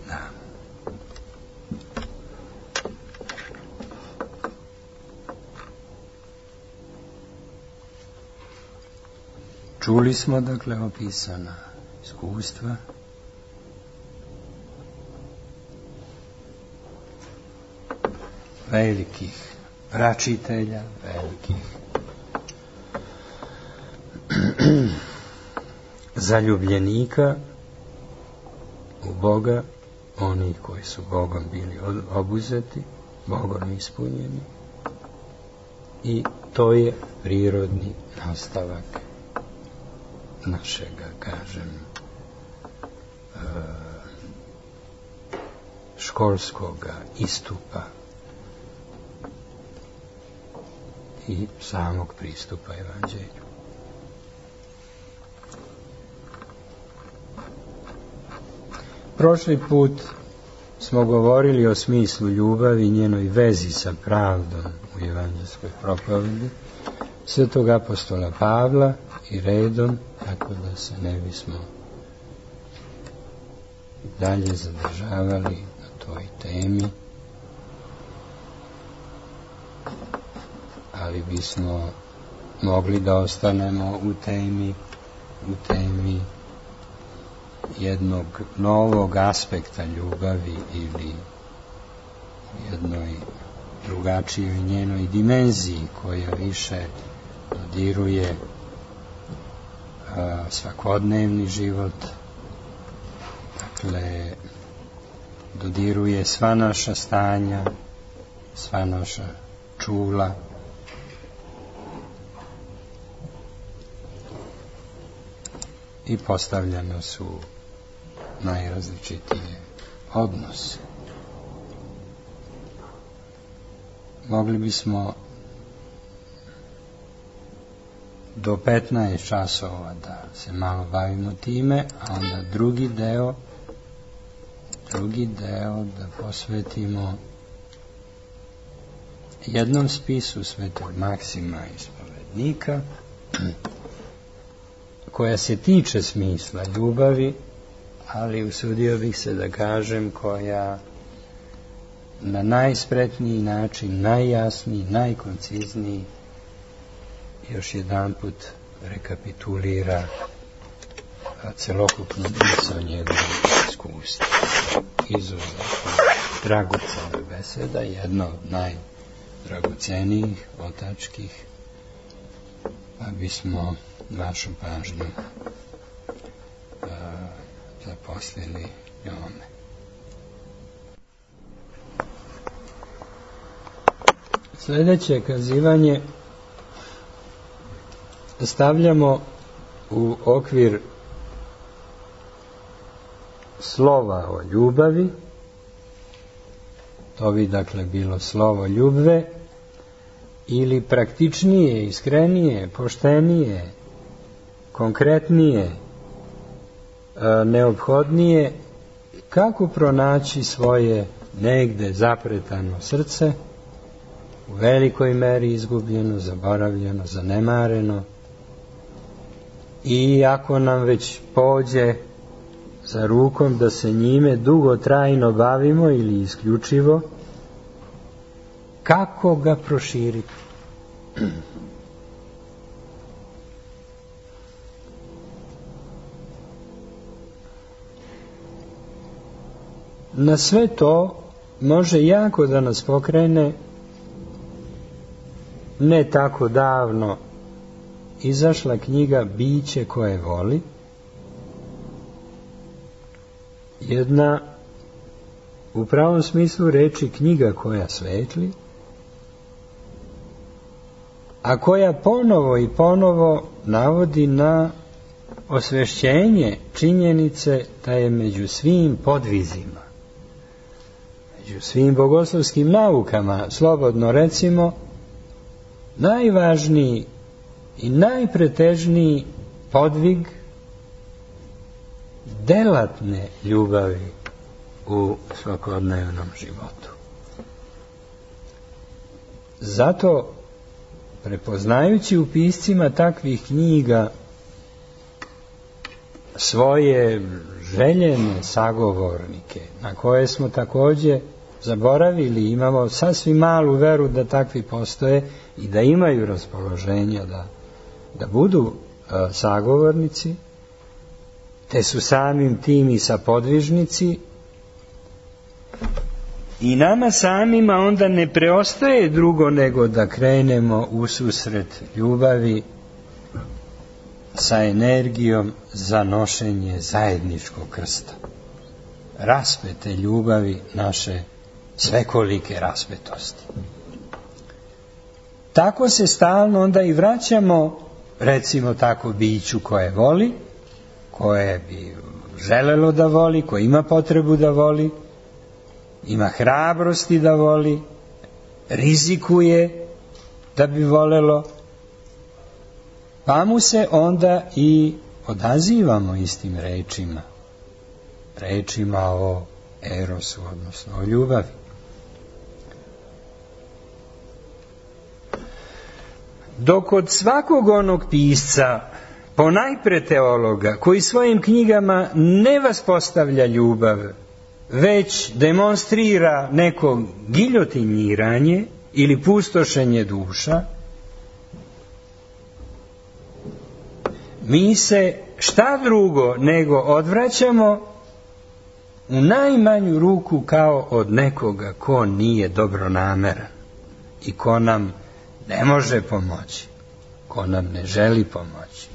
Da. Čuli smo, dakle, opisana iskustva, velikih pračitelja, velikih zaljubljenika u Boga, oni koji su Bogom bili obuzeti, Bogom ispunjeni, i to je prirodni nastavak našega, kažem, školskoga istupa i samog pristupa evanđelju. Prošli put smo govorili o smislu ljubavi i njenoj vezi sa pravdom u evanđelskoj propovedi svetog apostola Pavla i redom, tako da se ne bismo dalje zadržavali na toj temi, ali bismo mogli da ostanemo u temi jednog novog aspekta ljubavi ili jednoj drugačijoj njenoj dimenziji koja više dodiruje svakodnevni život, dakle dodiruje sva naša stanja, sva naša čula, i postavljene su najrazličitije odnose. Mogli bismo do 15 časova da se malo bavimo time, a onda drugi deo da posvetimo jednom spisu svetog Maksima ispovednika, koja se tiče smisla ljubavi, ali usudio bih se da kažem koja na najspretniji način, najjasniji, najkoncizniji još jedanput rekapitulira celokupnu misao njegovog iskustva. Izuzetno dragocena beseda, jedna od dragocenijih, otačkih, pa bismo vašu pažnju zaposlili njome. Sljedeće kazivanje stavljamo u okvir slova o ljubavi. To bi dakle bilo slovo ljubve, ili praktičnije, iskrenije, poštenije, konkretnije, neophodnije, kako pronaći svoje negde zapretano srce, u velikoj meri izgubljeno, zaboravljeno, zanemareno, i ako nam već pođe za rukom da se njime dugotrajno bavimo ili isključivo, kako ga proširiti? Na sve to može jako da nas pokrene ne tako davno izašla knjiga Biće koje voli, jedna u pravom smislu reči knjiga koja svetli, a koja ponovo i ponovo navodi na osvešćenje činjenice da je među svim podvizima, među svim bogoslovskim naukama, slobodno recimo, najvažniji i najpretežniji podvig delatne ljubavi u svakodnevnom životu. Zato, prepoznajući u piscima takvih knjiga svoje željene sagovornike, na koje smo također zaboravili, imamo sasvim malu veru da takvi postoje i da imaju raspoloženja da budu sagovornici, te su samim tim i sapodvižnici, i nama samima onda ne preostaje drugo nego da krenemo u susret ljubavi sa energijom za nošenje zajedničkog krsta, raspete ljubavi naše svekolike raspetosti. Tako se stalno onda i vraćamo, recimo tako, biću koje voli, koje bi želelo da voli, koje ima potrebu da voli, ima hrabrosti da voli, rizikuje da bi volelo, pa mu se onda i odazivamo istim rečima o erosu, odnosno o ljubavi. Dok kod svakog onog pisca, ponajpre teologa, koji svojim knjigama ne vaspostavlja ljubav, već demonstrira neko giljotiniranje ili pustošenje duša, mi se šta drugo nego odvraćamo u najmanju ruku kao od nekoga ko nije dobronameran i ko nam ne može pomoći, ko nam ne želi pomoći,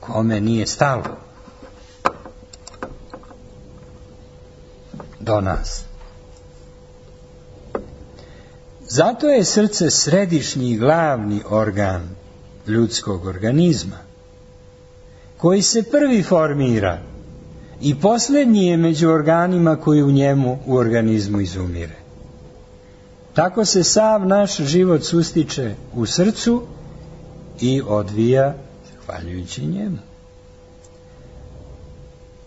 kome nije stalo do nas. Zato je srce središnji i glavni organ ljudskog organizma, koji se prvi formira i posljednji je među organima koji u njemu u organizmu izumire. Tako se sav naš život sustiče u srcu i odvija zahvaljujući njemu.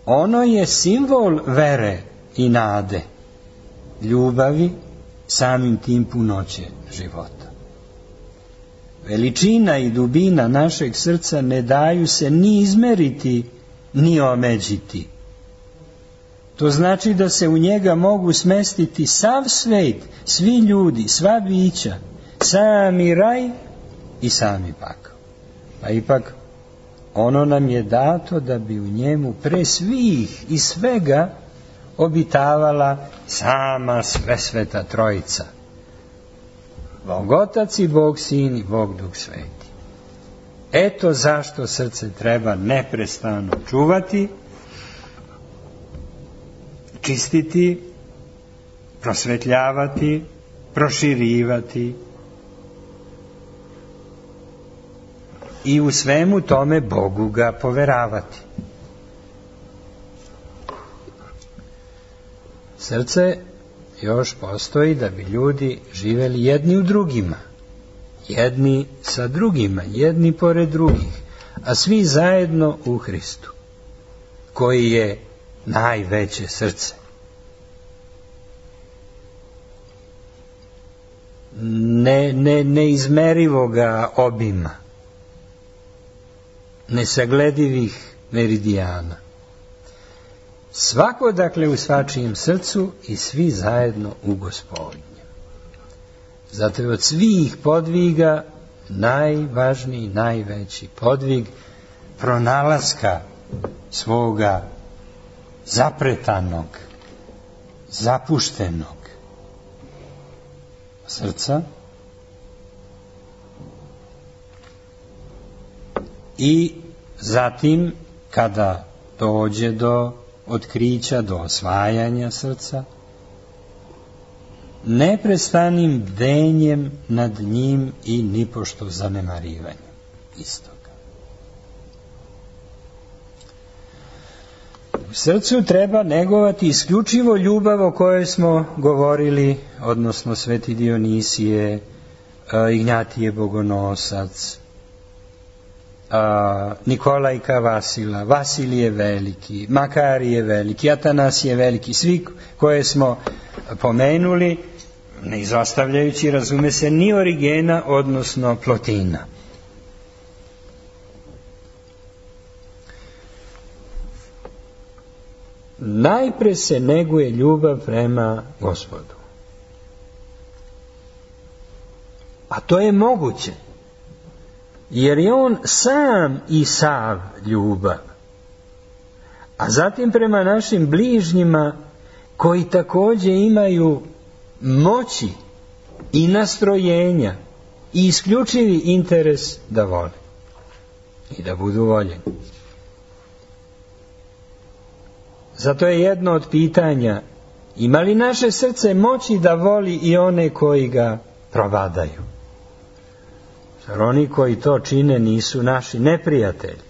Ono je simbol vere i nade, ljubavi, samim tim punoće života. Veličina i dubina našeg srca ne daju se ni izmeriti, ni omeđiti. To znači da se u njega mogu smestiti sav svet, svi ljudi, sva bića, sami raj i sami pakao. Pa ipak ono nam je dato da bi u njemu pre svih i svega obitavala sama svesveta trojica, Bog Otac i Bog Sin i Bog Duh Sveti. Eto zašto srce treba neprestano čuvati, čistiti, prosvetljavati, proširivati i u svemu tome Bogu ga poveravati. Srce još postoji da bi ljudi živjeli jedni u drugima, jedni sa drugima, jedni pored drugih, a svi zajedno u Hristu, koji je najveće srce. Neizmerivoga obima, nesagledivih meridijana. Svako, dakle, u svačijem srcu i svi zajedno u Gospodnjem. Zato je od svih podviga najvažniji, najveći podvig pronalaska svoga zapretanog, zapuštenog srca i zatim kada dođe do otkrića, do osvajanja srca, neprestanim bdenjem nad njim i nipošto zanemarivanjem istoga. U srcu treba negovati isključivo ljubav o kojoj smo govorili, odnosno Sveti Dionisije, Ignjatije Bogonosac, Nikolajka Vasila, Vasilije Veliki, Makarije Veliki, Atanasije Veliki, svi koje smo pomenuli, ne izostavljajući, razume se, ni Origena, odnosno Plotina. Najpre se neguje ljubav prema Gospodu. A to je moguće, jer je on sam i sav ljubav. A zatim prema našim bližnjima, koji također imaju moći i nastrojenja i isključivi interes da vole i da budu voljeni. Zato je jedno od pitanja: ima li naše srce moći da voli i one koji ga provadaju? Jer oni koji to čine nisu naši neprijatelji.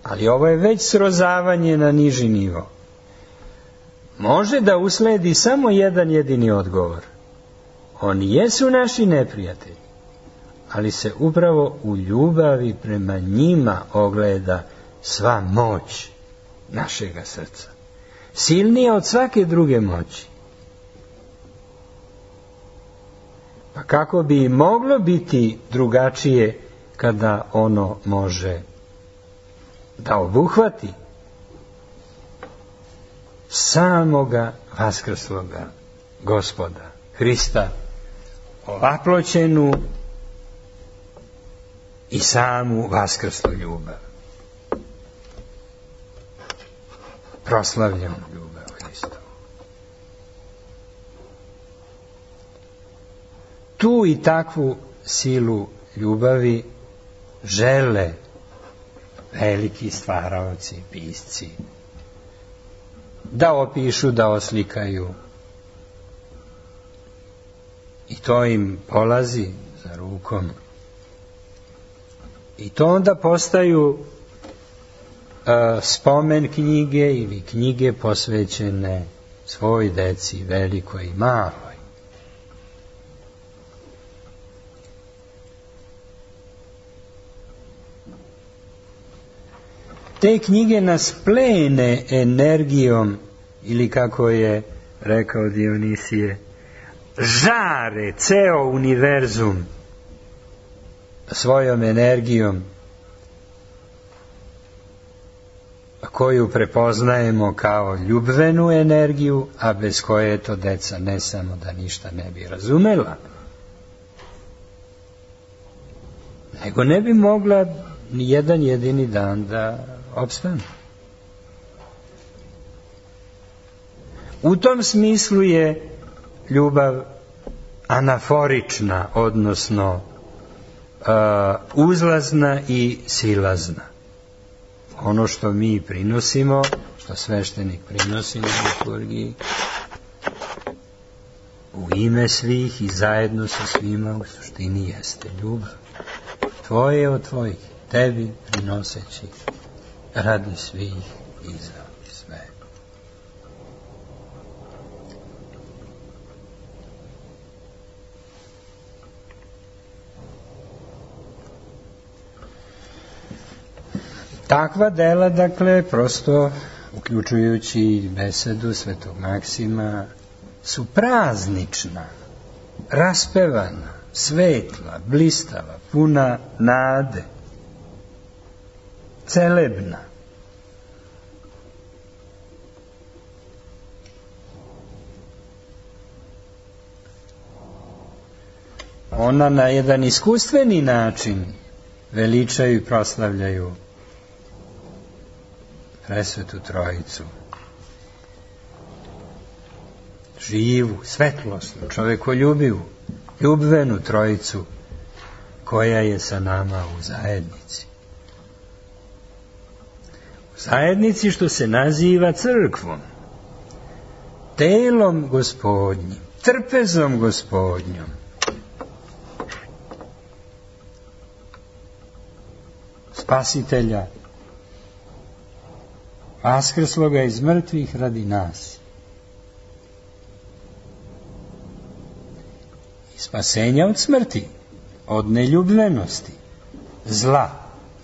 Ali ovo je već srozavanje na niži nivo. Može da usledi samo jedan jedini odgovor. Oni jesu naši neprijatelji, ali se upravo u ljubavi prema njima ogleda sva moć našega srca. Silnija od svake druge moći. Pa kako bi moglo biti drugačije kada ono može da obuhvati samoga vaskrsloga Gospoda Hrista, ovaploćenu i samu vaskrslu ljubav, proslavljenu ljubav Hristovu. Tu i takvu silu ljubavi žele veliki stvaraoci, pisci, da opišu, da oslikaju. I to im polazi za rukom. I to onda postaju spomen knjige ili knjige posvećene svoj deci, velikoj i maloj. Te knjige nas plene energijom, ili kako je rekao Dionisije, žare ceo univerzum svojom energijom, koju prepoznajemo kao ljubvenu energiju, a bez koje to deca ne samo da ništa ne bi razumela, nego ne bi mogla ni jedan jedini dan da opstane. U tom smislu je ljubav anaforična, odnosno uzlazna i silazna. Ono što mi prinosimo, što sveštenik prinosi na liturgiji, u ime svih i zajedno sa svima u suštini jeste ljubav. Tvoje od tvojih, tebi prinoseći radi svih i za sve. Takva dela, dakle, prosto, uključujući besedu svetog Maksima, su praznična, raspevana, svetla, blistava, puna nade, celebna. Ona na jedan iskustveni način veličaju i proslavljaju Presvetu Trojicu. Živu, svetlosnu, čovekoljubivu, ljubvenu Trojicu koja je sa nama u zajednici. U zajednici što se naziva crkvom, telom Gospodnjim, trpezom Gospodnjom. Spasitelja, vaskrsloga iz mrtvih radi nas. I spasenja od smrti, od neljubljenosti, zla,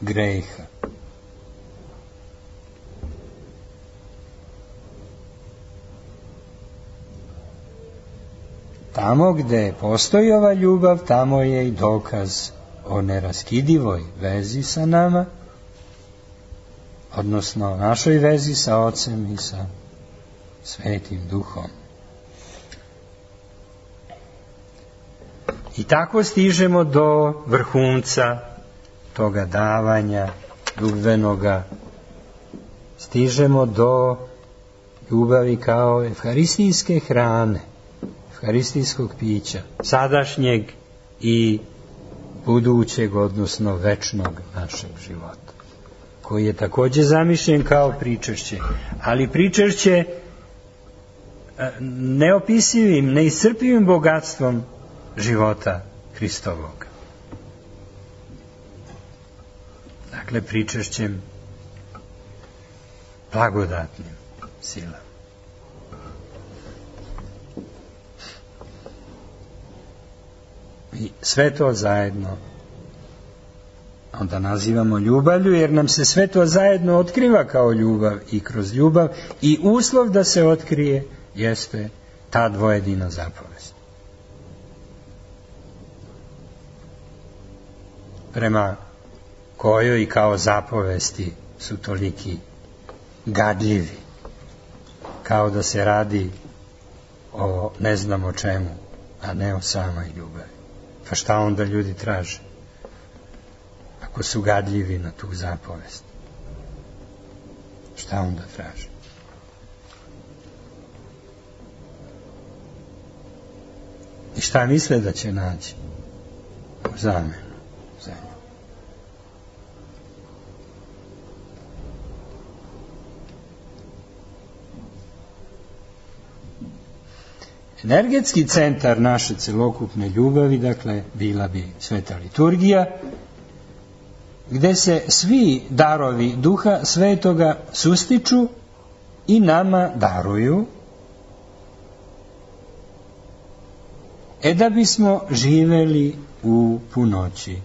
greha. Tamo gde postoji ova ljubav, tamo je i dokaz o neraskidivoj vezi sa nama, odnosno našoj vezi sa Ocem i sa Svetim Duhom. I tako stižemo do vrhunca toga davanja ljubvenoga, stižemo do ljubavi kao evharistijske hrane, evharistijskog pića, sadašnjeg i budućeg, odnosno večnog našeg života, koji je takođe zamišljen kao pričešće, ali pričešće neopisivim, neiscrpivim bogatstvom života Hristovog. Dakle, pričešćem blagodatnim silama. I sve to zajedno onda nazivamo ljubavlju, jer nam se sve to zajedno otkriva kao ljubav i kroz ljubav, i uslov da se otkrije jeste ta dvojedina zapovest. Prema kojoj i kao zapovesti su toliki gadljivi, kao da se radi o ne znam o čemu, a ne o samoj ljubavi. Pa šta onda ljudi traže ako su gadljivi na tu zapovest? Šta onda traže? I šta misle da će naći u zamenu za nju? Energetski centar naše celokupne ljubavi, dakle, bila bi Sveta liturgija, gde se svi darovi Duha Svetoga sustiču i nama daruju, da bismo živeli u punoći.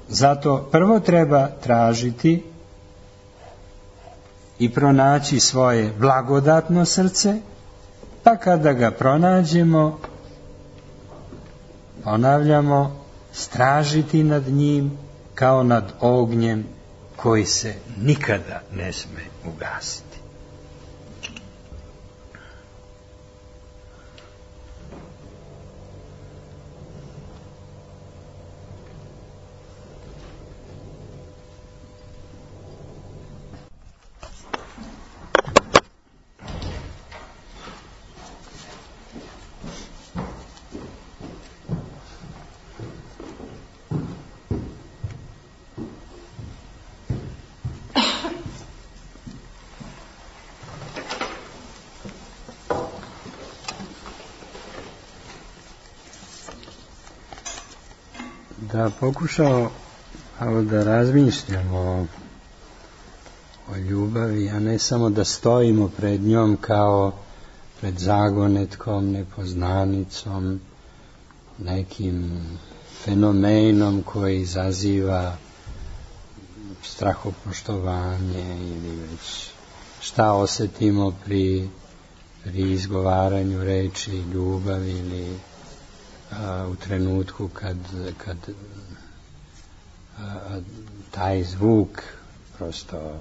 Zato prvo treba tražiti i pronaći svoje blagodatno srce, pa kada ga pronađemo, ponavljamo, stražiti nad njim kao nad ognjem koji se nikada ne sme ugasiti. da pokušao da razmišljamo o ljubavi, a ne samo da stojimo pred njom kao pred zagonetkom, nepoznanicom, nekim fenomenom koji izaziva strahopoštovanje ili već šta osjetimo pri izgovaranju reči ljubav ili u trenutku kad taj zvuk prosto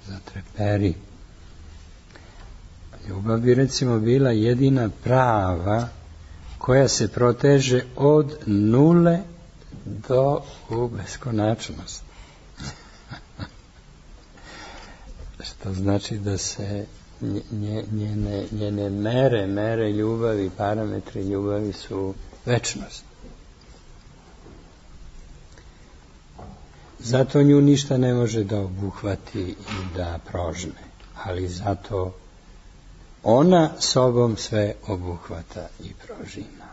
zatreperi. Ljubav bi recimo bila jedina prava koja se proteže od nule do u beskonačnost. Što znači da se njene mere ljubavi, parametri ljubavi su večnost. Zato nju ništa ne može da obuhvati i da prožme, ali zato ona sobom sve obuhvata i prožima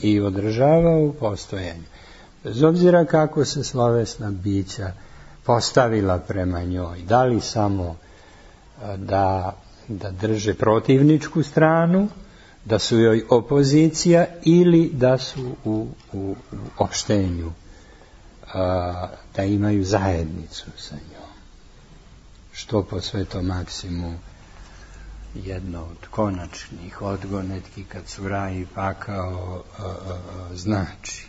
i održava u postojanju. Bez obzira kako se slovesna bića postavila prema njoj, da li samo da drže protivničku stranu, da su joj opozicija ili da su u opštenju, da imaju zajednicu sa njom. Što po Svetom Maksimu jedno od konačnih odgonetki kad su raj i pakao znači.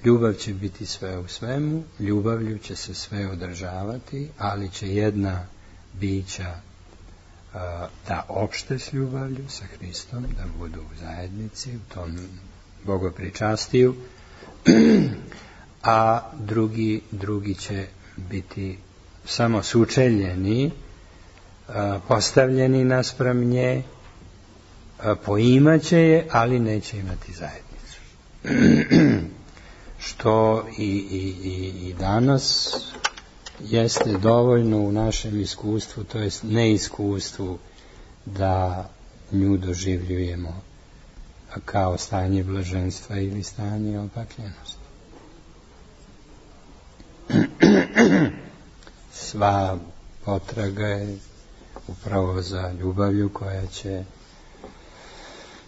Ljubav će biti sve u svemu, ljubavlju će se sve održavati, ali će jedna bića da opšte s ljubavlju sa Hristom, da budu u zajednici, u tom bogopričastiju, a drugi će biti samo sučeljeni, postavljeni naspram nje, poimaće je, ali neće imati zajednicu. Što i danas jeste dovoljno u našem iskustvu, to jest neiskustvu, da nju doživljujemo kao stanje blaženstva ili stanje opakljenosti. Sva potraga je upravo za ljubavlju koja će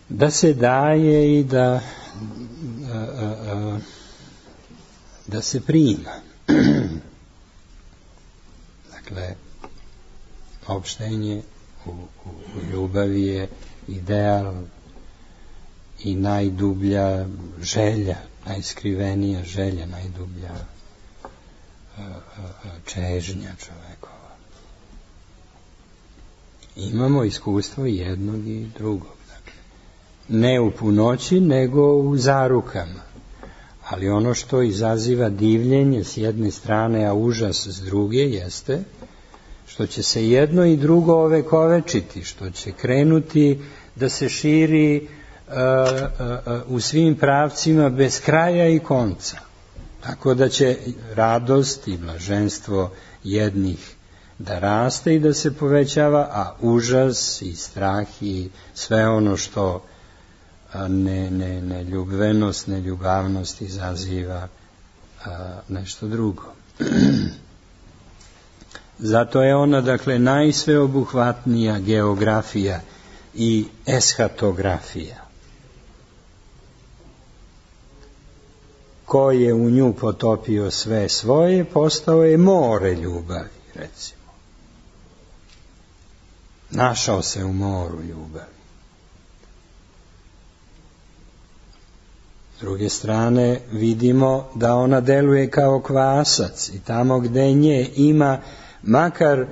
da se daje i da se prima. Dakle, opštenje u ljubavi je ideal i najdublja želja, najskrivenija želja, najdublja čežnja čovekova. Imamo iskustvo jednog i drugog. Dakle, ne u punoći, nego u zarukama. Ali ono što izaziva divljenje s jedne strane, a užas s druge, jeste što će se jedno i drugo ovekovečiti, što će krenuti da se širi u svim pravcima bez kraja i konca. Tako da će radost i blaženstvo jednih da raste i da se povećava, a užas i strah i sve ono što neljubvenost, neljubavnost izaziva nešto drugo. Zato je ona, dakle, najsveobuhvatnija geografija i eschatografija. Ko je u nju potopio sve svoje, postao je more ljubavi, recimo. Našao se u moru ljubavi. S druge strane, vidimo da ona deluje kao kvasac i tamo gde nje ima, makar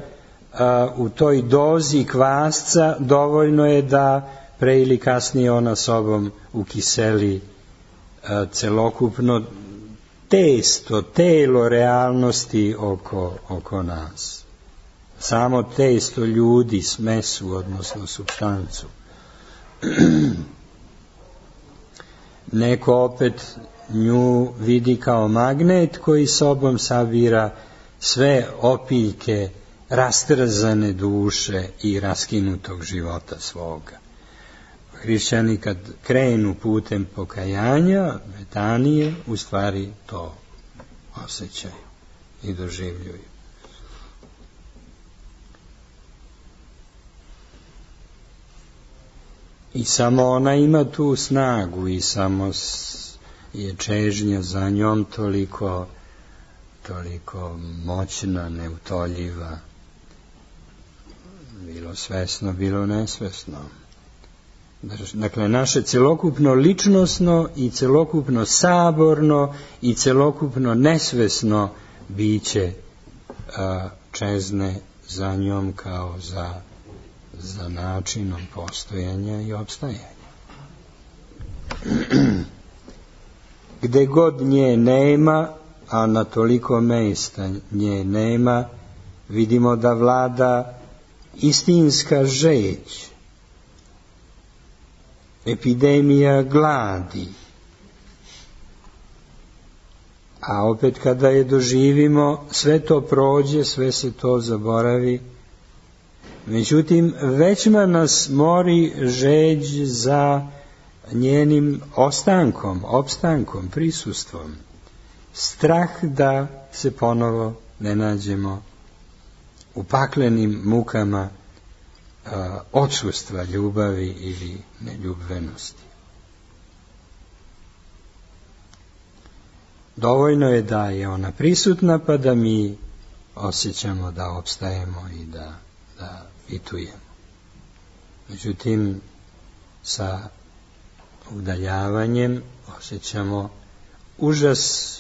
u toj dozi kvasca, dovoljno je da pre ili kasnije ona sobom ukiseli celokupno testo, telo realnosti oko nas. Samo testo ljudi, smesu, odnosno supstancu. Neko opet nju vidi kao magnet koji sobom sabira sve opiljke rastrzane duše i raskinutog života svoga. hrišćani kad krenu putem pokajanja, betanije, u stvari to osjećaju i doživljuju. I samo ona ima tu snagu i samo je čežnja za njom toliko moćna, neutoljiva, bilo svesno, bilo nesvesno. Dakle, naše celokupno ličnosno i celokupno saborno i celokupno nesvesno biće čezne za njom kao za načinom postojanja i opstajanja. Gde god nje nema, a na toliko mesta nje nema, vidimo da vlada istinska žeđ, epidemija gladi. A opet kada je doživimo, sve to prođe, sve se to zaboravi. Međutim, većma nas mori žeđ za njenim ostankom, opstankom, prisustvom. Strah da se ponovo ne nađemo u paklenim mukama odsustva ljubavi ili neljubvenosti. Dovoljno je da je ona prisutna, pa da mi osjećamo da opstajemo i da pitujemo. Međutim, sa udaljavanjem osjećamo užas,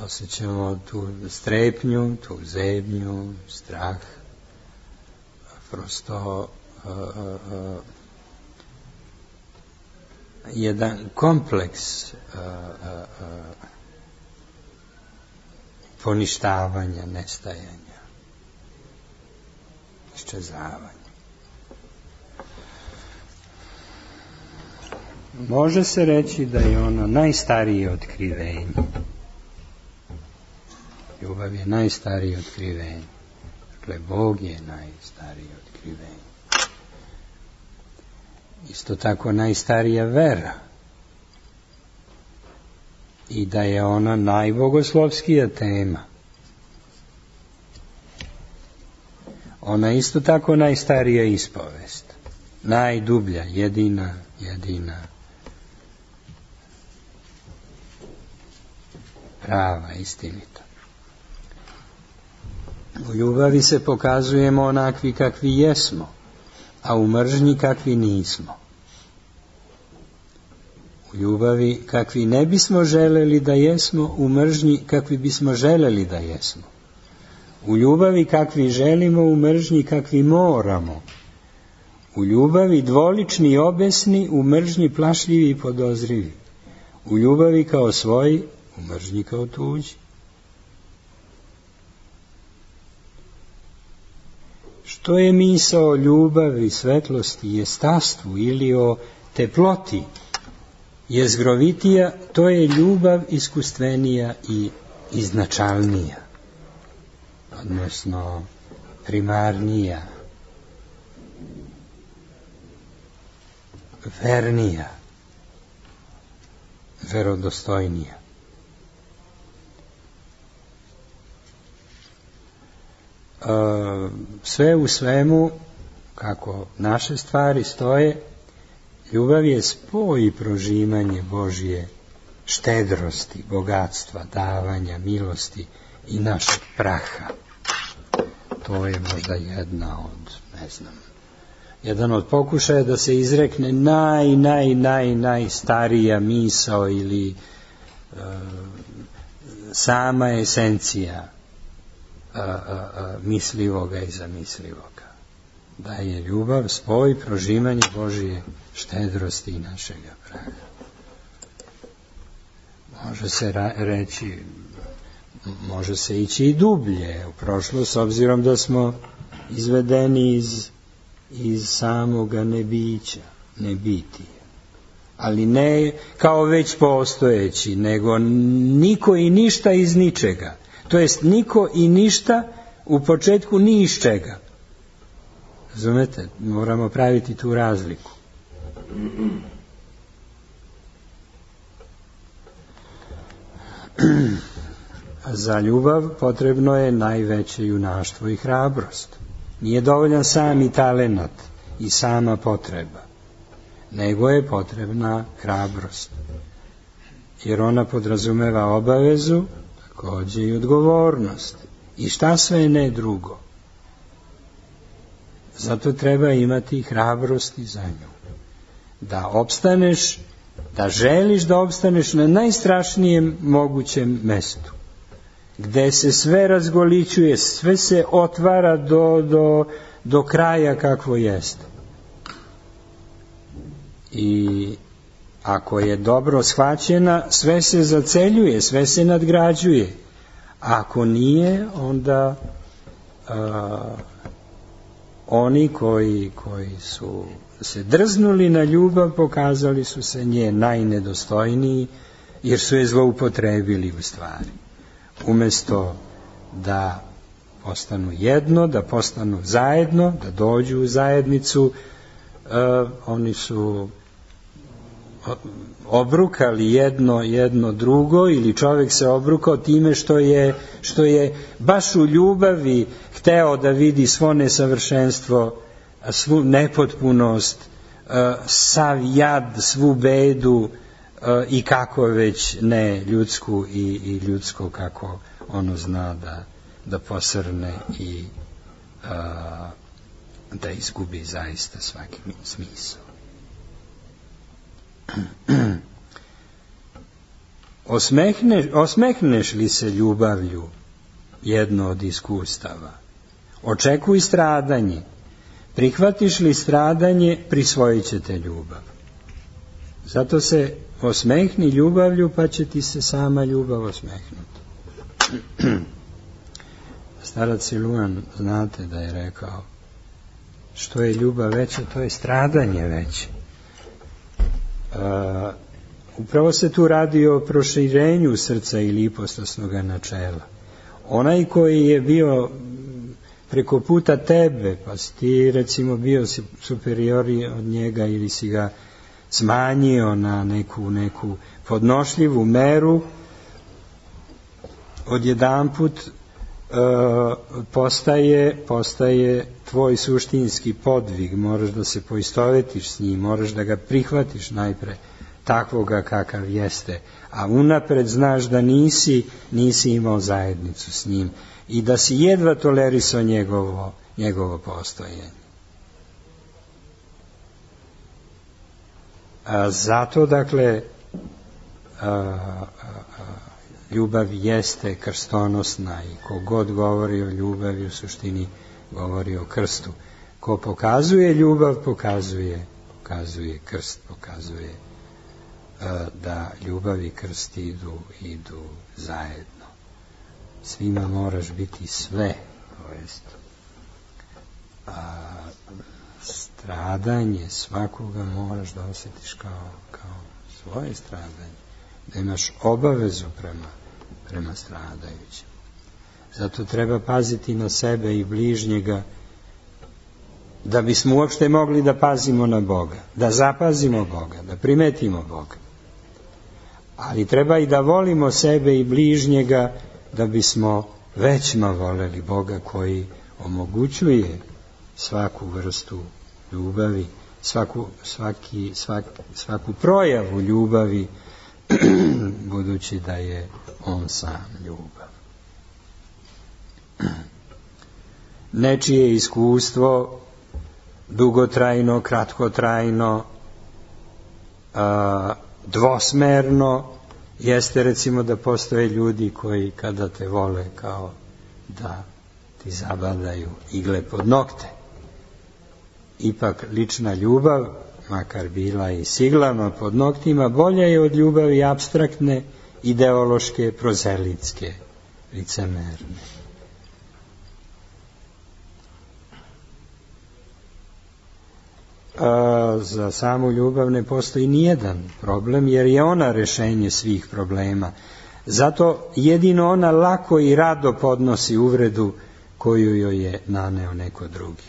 osjećamo tu strepnju, tu zebnju, strah, prosto jedan kompleks poništavanja, nestajanja, iščezavanja. Može se reći da je ono najstarije otkrivenje. Ljubav je najstarije otkrivenje. Dakle, Bog je najstarije otkrivenje. Isto tako najstarija vera. I da je ona najbogoslovskija tema. Ona isto tako najstarija ispovest. Najdublja, jedina. Prava, istinita. U ljubavi se pokazujemo onakvi kakvi jesmo, a u mržnji kakvi nismo. U ljubavi kakvi ne bismo želeli da jesmo, u mržnji kakvi bismo želeli da jesmo. U ljubavi kakvi želimo, u mržnji kakvi moramo. U ljubavi dvolični i obesni, u mržnji plašljivi i podozrivi. U ljubavi kao svoji, u mržnji kao tuđi. Što je misao o ljubavi, svetlosti, jestastvu ili o teploti jezgrovitija, to je ljubav iskustvenija i iznačalnija, odnosno primarnija, vernija, verodostojnija. Sve u svemu, kako naše stvari stoje, ljubav je spoj i prožimanje Božje štedrosti, bogatstva, davanja, milosti i našeg praha. To je možda jedan od pokušaja da se izrekne najstarija misao ili sama esencija mislivoga i zamislivoga. Da je ljubav spoj prožimanje Božje štedrosti i našega praha. Može se reći, može se ići i dublje u prošlost, s obzirom da smo izvedeni iz samoga nebića, nebitija. Ali ne kao već postojeći, nego niko i ništa iz ničega. To jest niko i ništa u početku ni iz čega. Razumete? Moramo praviti tu razliku. Za ljubav potrebno je najveće junaštvo i hrabrost. Nije dovoljan sami talenat i sama potreba, nego je potrebna hrabrost. Jer ona podrazumeva obavezu, takođe i odgovornost. I šta sve ne drugo. Zato treba imati hrabrosti za nju. Da opstaneš, da želiš da opstaneš na najstrašnijem mogućem mestu. Gde se sve razgolićuje, sve se otvara do kraja kakvo jeste. I ako je dobro shvaćena, sve se zaceljuje, sve se nadgrađuje. Ako nije, onda oni koji su se drznuli na ljubav, pokazali su se nje najnedostojniji, jer su je zloupotrebili u stvari. Umesto da postanu jedno, da postanu zajedno, da dođu u zajednicu, oni su obrukali jedno drugo, ili čovjek se obrukao time što je baš u ljubavi hteo da vidi svo nesavršenstvo, svu nepotpunost, sav jad, svu bedu i kako već ne ljudsku i ljudsko kako ono zna da posrne i da izgubi zaista svaki smisao. Osmehneš li se ljubavlju, jedno od iskustava? Očekuj stradanje. Prihvatiš li stradanje, prisvojit će te ljubav. Zato se osmehni ljubavlju, pa će ti se sama ljubav osmehnuti. Starac Siluan, znate da je rekao, što je ljubav veća, to je stradanje veće. Upravo se tu radi o proširenju srca ili ipostasnog načela. Onaj koji je bio preko puta tebe, pa si ti recimo bio superiori od njega ili si ga smanjio na neku podnošljivu meru, odjedanput postaje tvoj suštinski podvig, moraš da se poistovetiš s njim, moraš da ga prihvatiš najpre takvoga kakav jeste, a unapred znaš da nisi imao zajednicu s njim i da si jedva tolerisao njegovo postojanje. Zato, dakle, ljubav jeste krstonosna i ko god govori o ljubavi u suštini govori o krstu. Ko pokazuje ljubav, pokazuje krst, pokazuje da ljubav i krst idu zajedno. Svima moraš biti sve, to jest stradanje svakoga moraš da osjetiš kao svoje stradanje, da imaš obavezu prema stradajućem. Zato treba paziti na sebe i bližnjega, da bismo uopšte mogli da pazimo na Boga, da zapazimo Boga, da primetimo Boga. Ali treba i da volimo sebe i bližnjega, da bismo većma voleli Boga koji omogućuje svaku vrstu ljubavi, svaku projavu ljubavi, budući da je on sam ljubav. Nečije iskustvo, dugotrajno, kratkotrajno, dvosmerno, jeste recimo da postoje ljudi koji kada te vole kao da ti zabadaju igle pod nokte. Ipak lična ljubav, makar bila i siglama pod noktima, bolja je od ljubavi apstraktne, ideološke, prozelitske, licemerne. Za samu ljubav ne postoji nijedan problem, jer je ona rešenje svih problema. Zato jedino ona lako i rado podnosi uvredu koju joj je naneo neko drugi.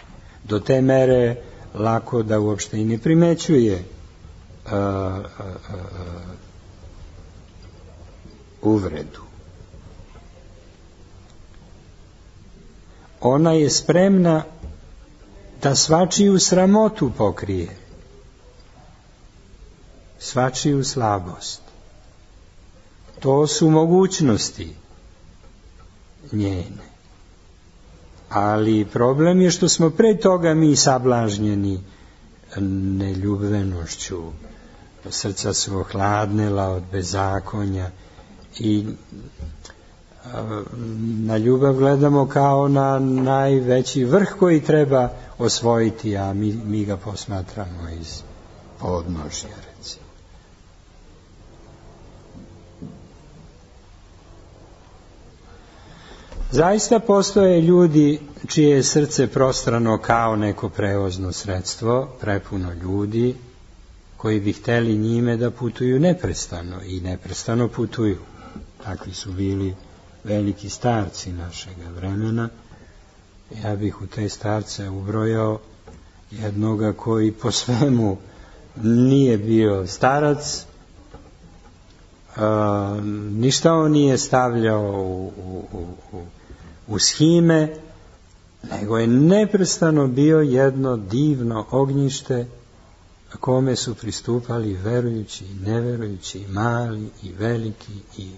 Do te mere lako da uopšte i ne primećuje uvredu. Ona je spremna da svačiju sramotu pokrije, svačiju slabost. To su mogućnosti njene. Ali problem je što smo pre toga mi sablažnjeni neljubvenošću, srca su ohladnela od bezakonja i na ljubav gledamo kao na najveći vrh koji treba osvojiti, a mi ga posmatramo iz podnožja, recimo. Zaista postoje ljudi čije je srce prostrano kao neko prevozno sredstvo, prepuno ljudi koji bi hteli njime da putuju neprestano i neprestano putuju. Takvi su bili veliki starci našega vremena. Ja bih u te starce ubrojao jednoga koji po svemu nije bio starac, ništa on nije stavljao u shime, nego je neprestano bio jedno divno ognjište kome su pristupali verujući i neverujući, i mali i veliki, i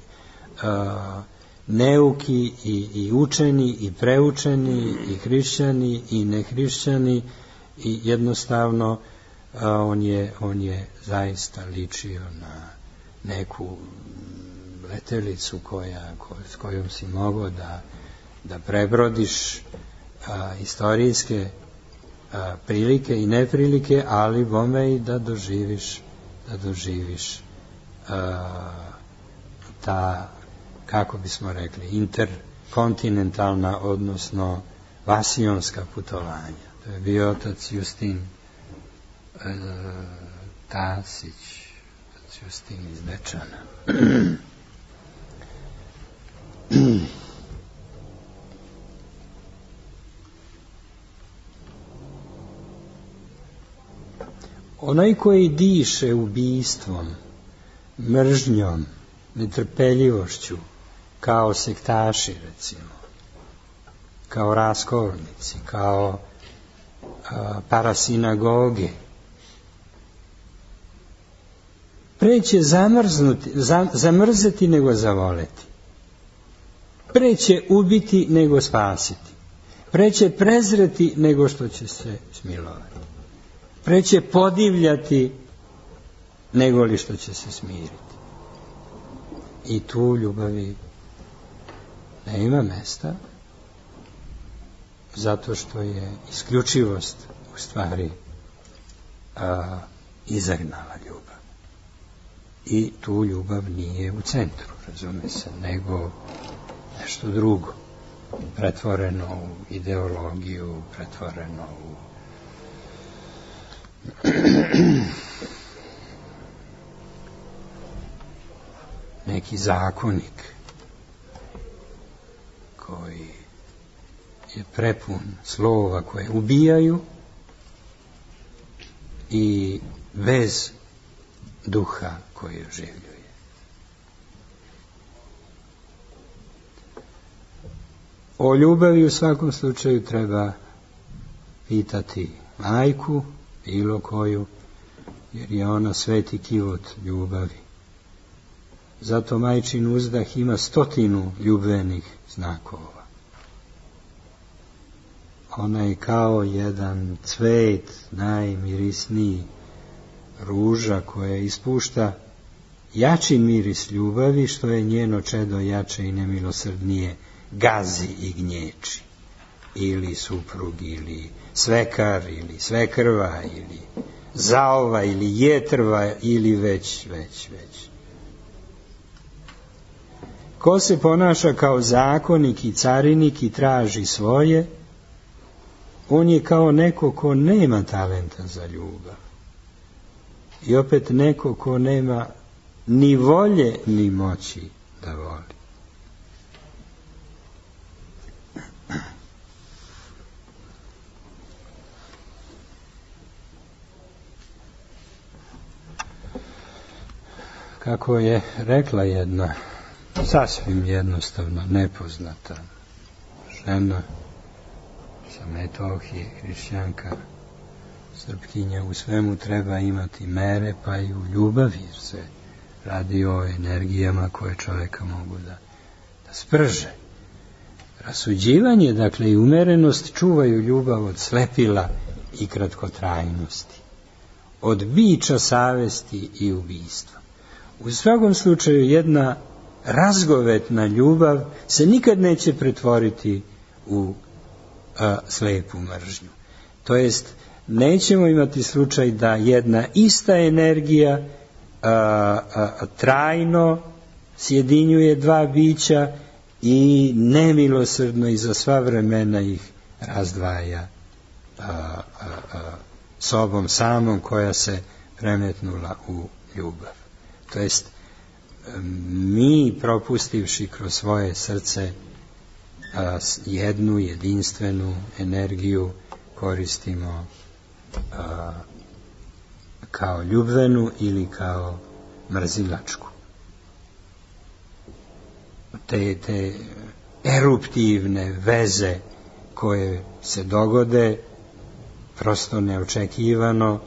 neuki i učeni i preučeni i hrišćani i nehrišćani, i jednostavno on je zaista ličio na neku letelicu s kojom si mogao da prebrodiš istorijske prilike i neprilike, ali bome i da doživiš ta, kako bismo rekli, interkontinentalna, odnosno vasionska putovanja. To je bio otac Justin Tasić, otac Justin iz Dečana. Onaj koji diše ubistvom, mržnjom, netrpeljivošću, kao sektaši, recimo, kao raskolnici, kao parasinagoge, preće zamrzeti nego zavoleti, preće ubiti nego spasiti, preće prezreti nego što će se smilovati, preće podivljati nego li što će se smiriti. I tu ljubavi ne ima mesta, zato što je isključivost u stvari izagnala ljubav. I tu ljubav nije u centru, razume se, nego nešto drugo, pretvoreno u ideologiju, pretvoreno u neki zakonik koji je prepun slova koje ubijaju i bez duha koji oživljuje. O ljubavi u svakom slučaju treba pitati majku, bilo koju, jer je ona sveti kivot ljubavi. Zato majčin uzdah ima 100 ljubvenih znakova. Ona je kao jedan cvet, najmirisniji, ruža koja ispušta jači miris ljubavi, što je njeno čedo jače i nemilosrdnije gazi i gnječi. Ili suprug, ili svekar, ili svekrva, ili zaova, ili jetrva, ili već. Ko se ponaša kao zakonik i carinik i traži svoje, on je kao neko ko nema talenta za ljubav. I opet neko ko nema ni volje ni moći da voli. Kako je rekla jedna sasvim jednostavno nepoznata žena sa Metohije, hrišćanka, Srpkinja, u svemu treba imati mere, pa i u ljubavi, jer se radi o energijama koje čoveka mogu da sprže. Rasuđivanje, dakle, i umerenost čuvaju ljubav od slepila i kratkotrajnosti, od biča savesti i ubistva. U svakom slučaju jedna razgovetna ljubav se nikad neće pretvoriti u slepu mržnju. To jest, nećemo imati slučaj da jedna ista energija trajno sjedinjuje dva bića i nemilosrdno i za sva vremena ih razdvaja sobom samom koja se premetnula u ljubav. To jest, mi propustivši kroz svoje srce jednu jedinstvenu energiju koristimo kao ljubvenu ili kao mrzilačku. Te eruptivne veze koje se dogode prosto neočekivano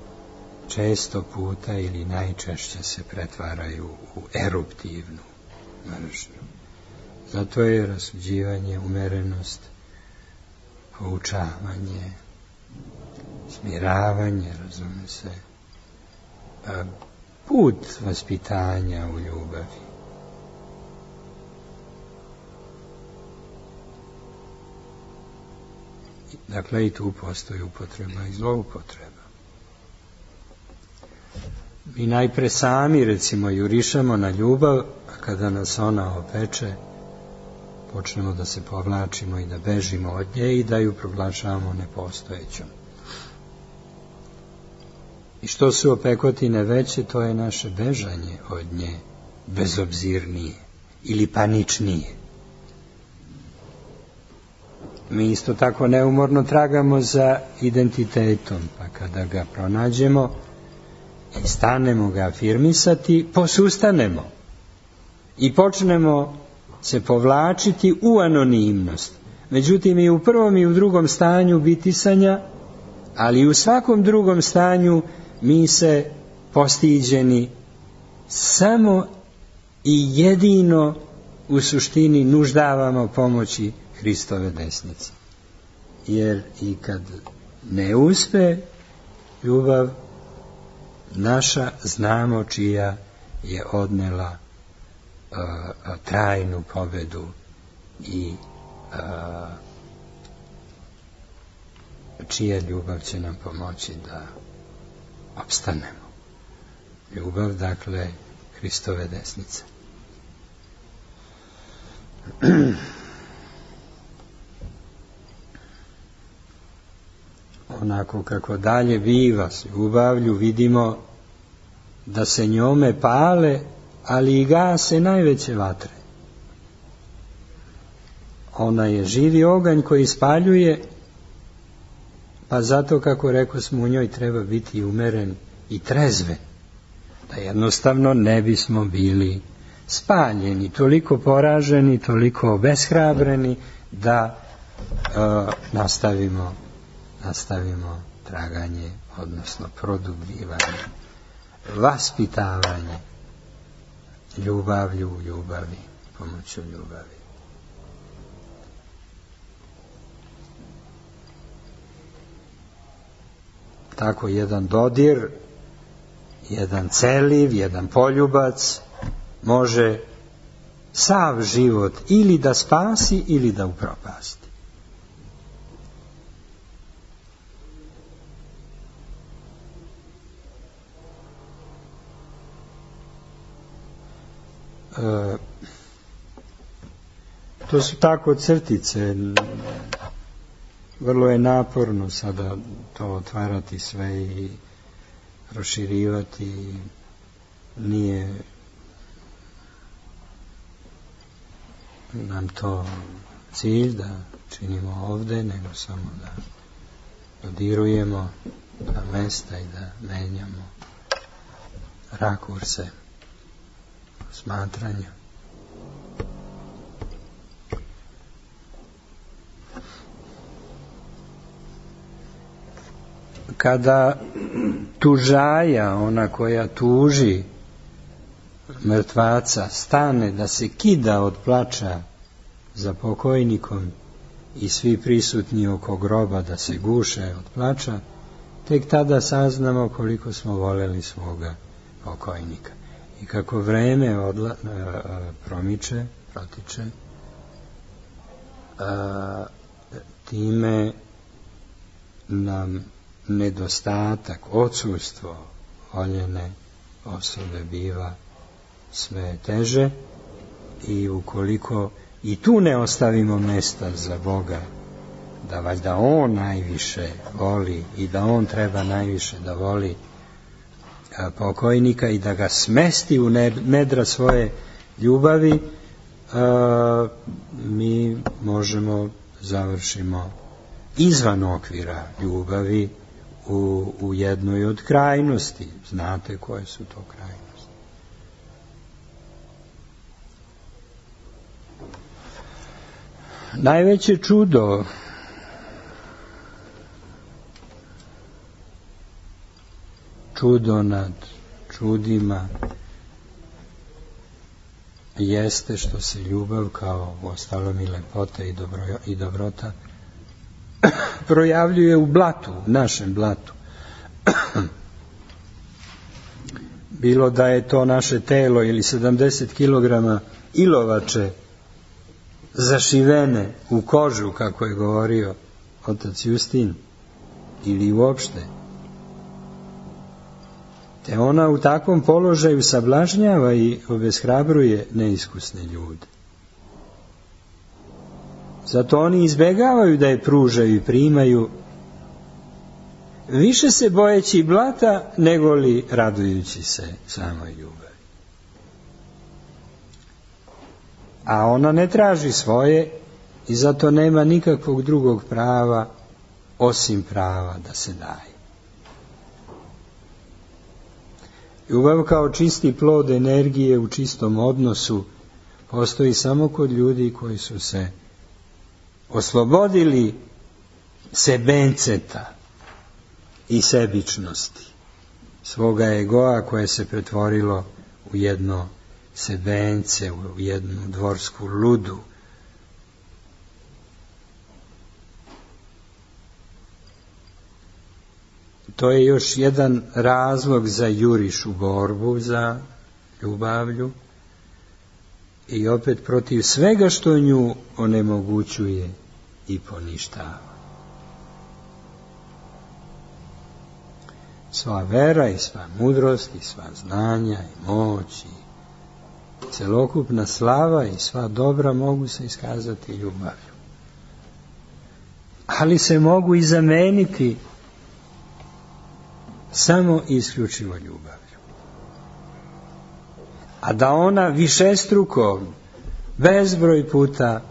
često puta ili najčešće se pretvaraju u eruptivnu mržnju. Zato je rasuđivanje, umerenost, poučavanje, smiravanje, razume se, put vaspitanja u ljubavi. Dakle, i tu postoji upotreba i zloupotreba. Mi najpre sami, recimo, jurišamo na ljubav, a kada nas ona opeče, počnemo da se povlačimo i da bežimo od nje i da ju proglašavamo nepostojećom. I što su opekotine veće, to je naše bežanje od nje bezobzirnije ili paničnije. Mi isto tako neumorno tragamo za identitetom, pa kada ga pronađemo i stanemo ga afirmisati, posustanemo i počnemo se povlačiti u anonimnost. Međutim, i u prvom i u drugom stanju bitisanja, ali i u svakom drugom stanju mi se postiđeni samo i jedino u suštini nuždavamo pomoći Hristove desnice. Jer i kad ne uspe ljubav naša, znamo čija je odnela trajnu pobedu i čija ljubav će nam pomoći da opstanemo. Ljubav, dakle, Hristove desnice. Onako kako dalje biva s ljubavlju, vidimo da se njome pale, ali i gase najveće vatre. Ona je živi oganj koji spaljuje, pa zato, kako rekao smo, u njoj treba biti umeren i trezven, da jednostavno ne bismo bili spaljeni, toliko poraženi, toliko obeshrabreni, da nastavimo traganje, odnosno produbljivanje, vaspitavanje ljubavlju u ljubavi, pomoću ljubavi. Tako jedan dodir, jedan celiv, jedan poljubac može sav život ili da spasi ili da upropasti. To su tako crtice. Vrlo je naporno sada to otvarati sve i proširivati. Nije nam to cilj da činimo ovde, nego samo da dodirujemo ta mesta i da menjamo rakurse posmatranja. Kada tužaja, ona koja tuži mrtvaca, stane da se kida od plača za pokojnikom i svi prisutni oko groba da se guše od plača, tek tada saznamo koliko smo voljeli svoga pokojnika. I kako vreme protiče, time nam nedostatak, odsustvo voljene osobe biva sve teže, i ukoliko i tu ne ostavimo mesta za Boga, da valjda On najviše voli i da On treba najviše da voli pokojnika i da ga smesti u nedra svoje ljubavi, mi možemo završimo izvan okvira ljubavi u jednoj od krajnosti. Znate koje su to krajnosti? Najveće čudo nad čudima jeste što se ljubav, kao uostalom i lepota i dobrota, projavljuje u blatu, u našem blatu. Bilo da je to naše telo ili 70 kilograma ilovače zašivene u kožu, kako je govorio otac Justin, ili uopšte. Te ona u takvom položaju sablažnjava i obeshrabruje neiskusne ljude. Zato oni izbegavaju da je pružaju i primaju, više se bojeći blata nego li radujući se samoj ljubavi. A ona ne traži svoje i zato nema nikakvog drugog prava osim prava da se daje. Ljubav kao čisti plod energije u čistom odnosu postoji samo kod ljudi koji su se oslobodili sebenceta i sebičnosti, svoga egoa koje se pretvorilo u jedno sebence, u jednu dvorsku ludu. To je još jedan razlog za juriš u borbu za ljubavlju i opet protiv svega što nju onemogućuje i poništava. Sva vera i sva mudrost i sva znanja i moć i celokupna slava i sva dobra mogu se iskazati ljubavlju. Ali se mogu i zameniti samo i isključivo ljubavlju. A da ona višestruko, bezbroj puta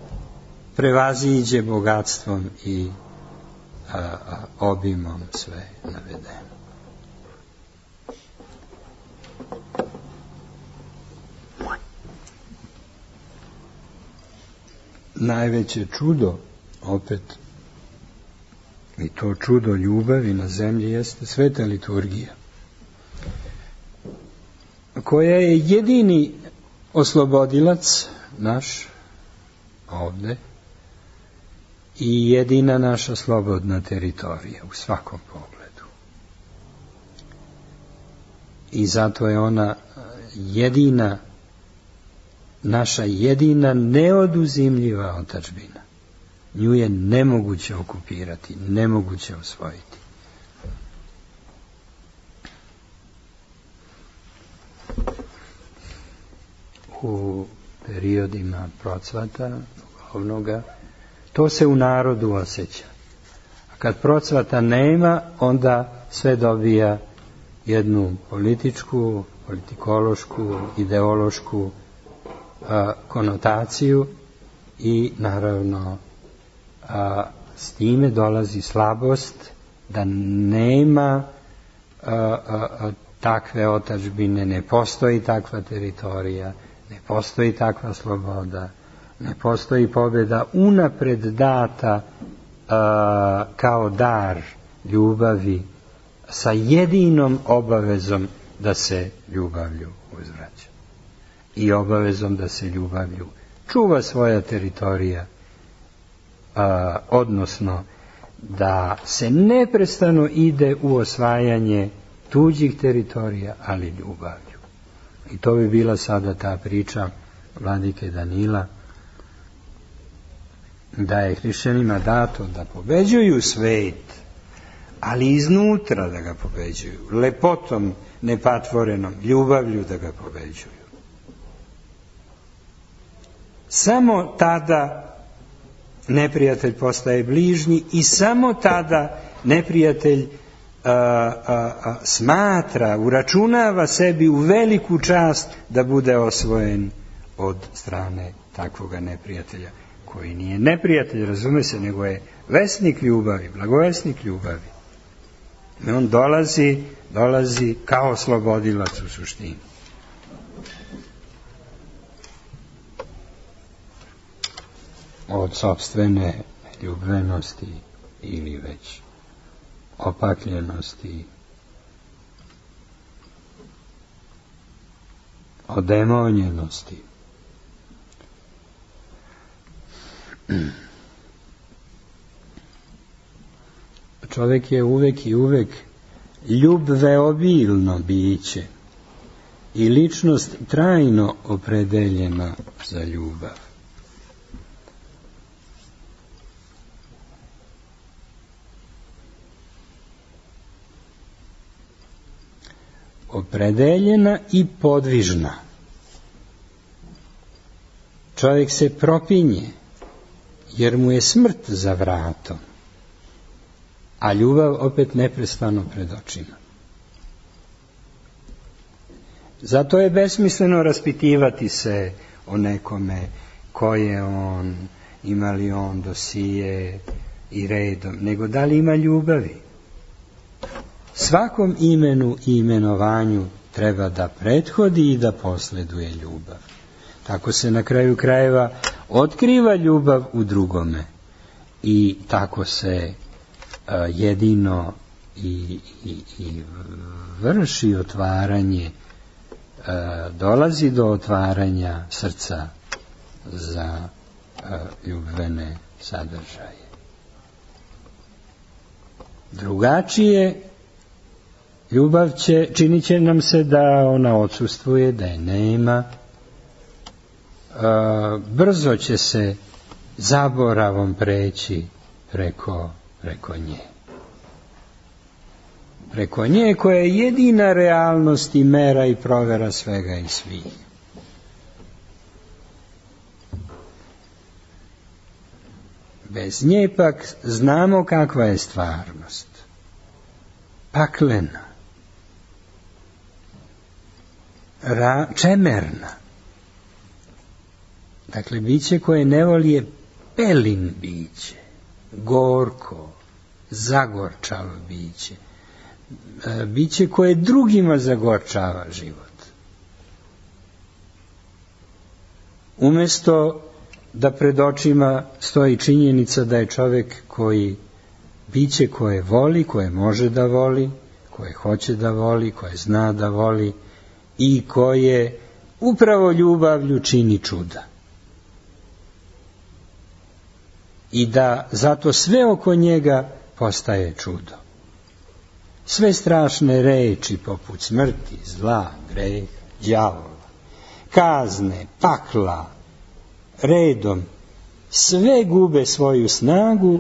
prevaziđe bogatstvom i obimom sve navedeno. Najveće čudo, opet, i to čudo ljubavi na zemlji, jeste sveta liturgija, koja je jedini oslobodilac naš ovde i jedina naša slobodna teritorija u svakom pogledu. I zato je ona jedina, naša jedina neoduzimljiva otadžbina. Nju je nemoguće okupirati, nemoguće osvojiti. U periodima procvata duhovnoga, to se u narodu osjeća. A kad procvata nema, onda sve dobija jednu političku, politikološku, ideološku konotaciju i naravno s time dolazi slabost da nema takve otadžbine, ne postoji takva teritorija, Ne postoji takva sloboda, ne postoji pobjeda unapred data kao dar ljubavi sa jedinom obavezom da se ljubavlju uzvraća i obavezom da se ljubavlju čuva svoja teritorija, odnosno da se neprestano ide u osvajanje tuđih teritorija, ali ljubavlju. I to bi bila sada ta priča vladike Danila, da je hrišćanima dato da pobeđuju svet, ali iznutra da ga pobeđuju, lepotom nepatvorenom, ljubavlju da ga pobeđuju. Samo tada neprijatelj postaje bližnji i samo tada neprijatelj smatra, uračunava sebi u veliku čast da bude osvojen od strane takvoga neprijatelja, koji nije neprijatelj, razume se, nego je vesnik ljubavi, blagovesnik ljubavi. I on dolazi kao oslobodilac u suštini. Od sopstvene ljubenosti ili već opakljenosti, od demonjenosti. Čovjek je uvek i uvek ljubveobilno biće i ličnost trajno opredeljena za ljubav. Opredeljena i podvižna. Čovjek se propinje, jer mu je smrt za vratom, a ljubav opet neprestano pred očima. Zato je besmisleno raspitivati se o nekome, ko je on, ima li on dosije i redom, nego da li ima ljubavi. Svakom imenu i imenovanju treba da prethodi i da posleduje ljubav. Tako se na kraju krajeva otkriva ljubav u drugome i tako se jedino i vrši otvaranje, dolazi do otvaranja srca za ljubvene sadržaje. Drugačije ljubav činit će nam se da ona odsustvuje, da je nema, brzo će se zaboravom preći preko nje. Preko nje koja je jedina realnost i mera i provera svega i svih. Bez nje pak znamo kakva je stvarnost. Paklena. Čemerna. Dakle, biće koje ne voli je pelin biće, gorko, zagorčavo biće, biće koje drugima zagorčava život. Umjesto da pred očima stoji činjenica da je čovjek koji, biće koje voli, koje može da voli, koje hoće da voli, koje zna da voli i koje upravo ljubavlju čini čuda. I da zato sve oko njega postaje čudo. Sve strašne reči poput smrti, zla, greha, đavola, kazne, pakla, redom, sve gube svoju snagu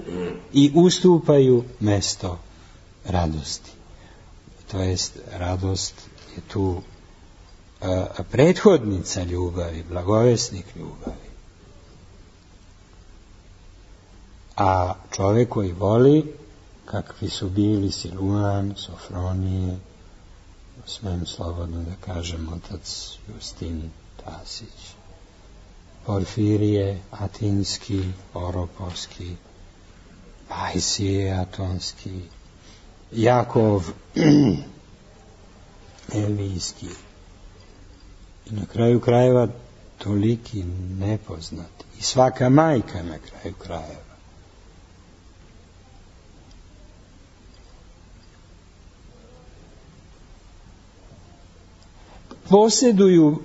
i ustupaju mesto radosti. To jest, radost je tu prethodnica ljubavi, blagovesnik ljubavi. A čovjek koji voli, kakvi su bili Siluan, Sofronije, smijem slobodno da kažem otac Justin Tasić, Porfirije, Atinski, Oropovski, Pajsije, Atonski, Jakov, Elvijski. I na kraju krajeva toliki nepoznati. I svaka majka na kraju krajeva. Posjeduju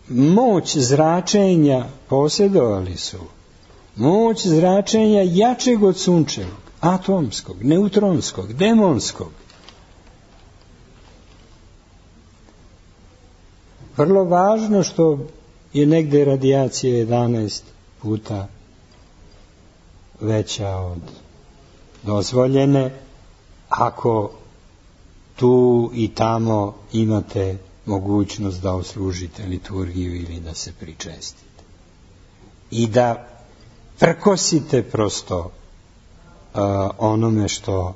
moć zračenja, posjedovali su moć zračenja jačeg od sunčevog, atomskog, neutronskog, demonskog. Vrlo važno što je negde radijacija 11 puta veća od dozvoljene, ako tu i tamo imate mogućnost da oslužite liturgiju ili da se pričestite. I da prkosite prosto onome što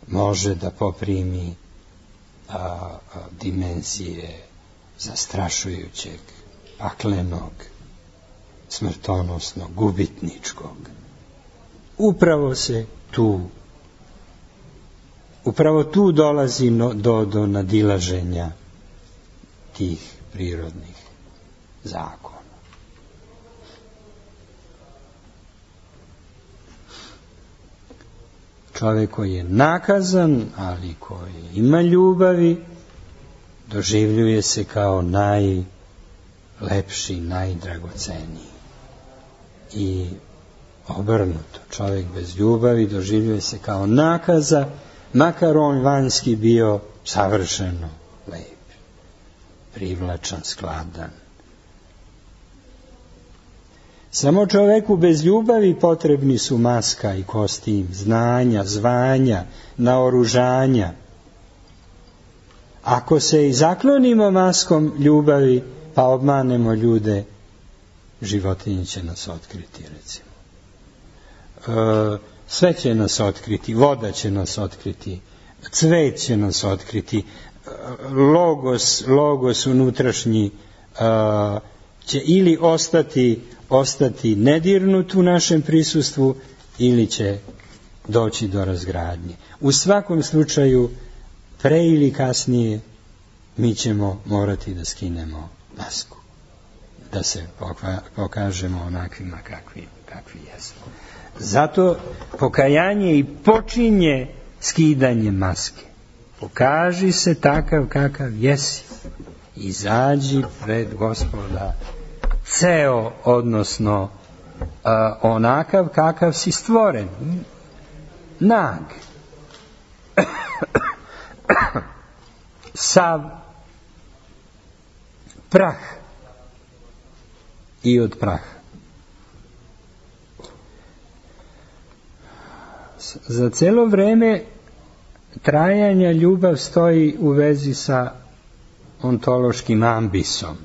može da poprimi dimenzije zastrašujućeg, paklenog, smrtonosnog, gubitničkog. Upravo tu dolazi do nadilaženja tih prirodnih zakona. Čovjek koji je nakazan, ali koji ima ljubavi, doživljuje se kao najlepši, najdragoceniji. I obrnuto, čovjek bez ljubavi doživljuje se kao nakaza, makar on vanjski bio savršeno lep, privlačan, skladan. Samo čovjeku bez ljubavi potrebni su maska i kostim, znanja, zvanja, naoružanja. Ako se i zaklonimo maskom ljubavi, pa obmanemo ljude, životinje će nas otkriti, recimo. Sve će nas otkriti, voda će nas otkriti, cvet će nas otkriti, logos unutrašnji će ili ostati nedirnut u našem prisustvu, ili će doći do razgradnje. U svakom slučaju, pre ili kasnije, mi ćemo morati da skinemo masku, da se pokažemo onakvima kakvi jesmo. Zato pokajanje i počinje skidanje maske. Pokaži se takav kakav jesi. Izađi pred Gospoda ceo, odnosno onakav kakav si stvoren. Nag. Sav prah i od praha. Za celo vreme trajanja ljubav stoji u vezi sa ontološkim ambisom.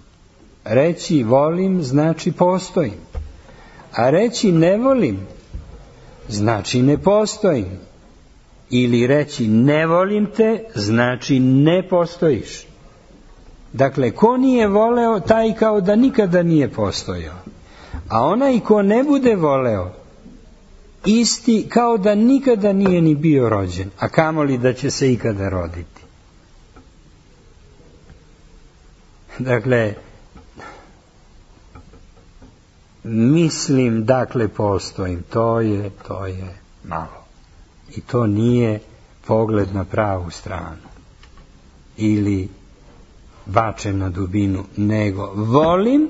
Reći volim znači postojim, a reći ne volim znači ne postojim. Ili reći ne volim te znači ne postojiš. Dakle, ko nije voleo, taj kao da nikada nije postojao. A onaj ko ne bude voleo, isti kao da nikada nije ni bio rođen, a kamoli da će se ikada roditi. Dakle, mislim, dakle postojim, to je malo. I to nije pogled na pravu stranu ili bačen na dubinu, nego volim,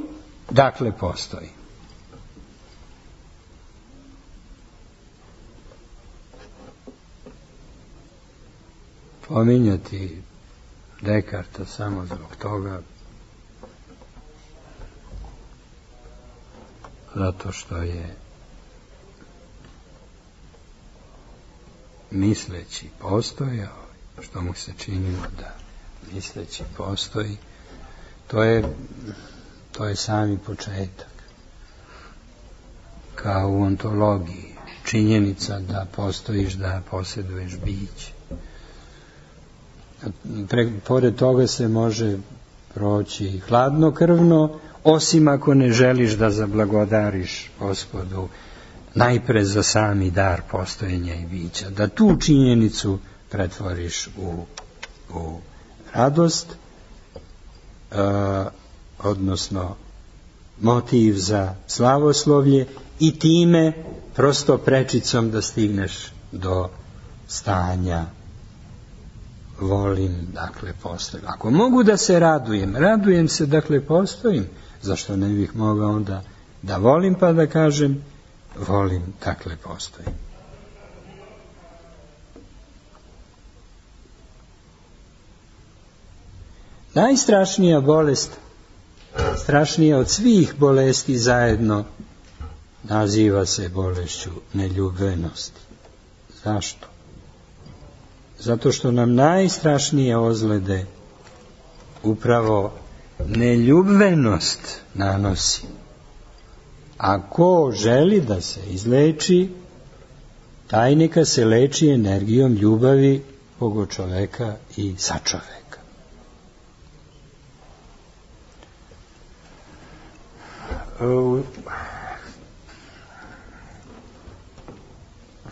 dakle postojim. Pominjati Dekarta samo zbog toga, zato što je misleći postojao, što mu se činilo da misleći postoji, to je sami početak. Kao u ontologiji, činjenica da postojiš, da posjeduješ biće. Pored toga se može proći hladnokrvno, osim ako ne želiš da zablagodariš Gospodu najpre za sami dar postojenja i bića, da tu činjenicu pretvoriš u radost, odnosno motiv za slavoslovlje i time prosto prečicom da stigneš do stanja volim, dakle postojim. Ako mogu da se radujem se, dakle postojim, zašto ne bih mogao onda da volim pa da kažem volim, dakle postojim. Najstrašnija bolest, strašnija od svih bolesti zajedno, naziva se bolešću neljubvenosti. Zašto? Zato što nam najstrašnije ozljede upravo neljubvenost nanosi. A ko želi da se izleči, taj neka se leči energijom ljubavi Boga čoveka i sa čoveka. U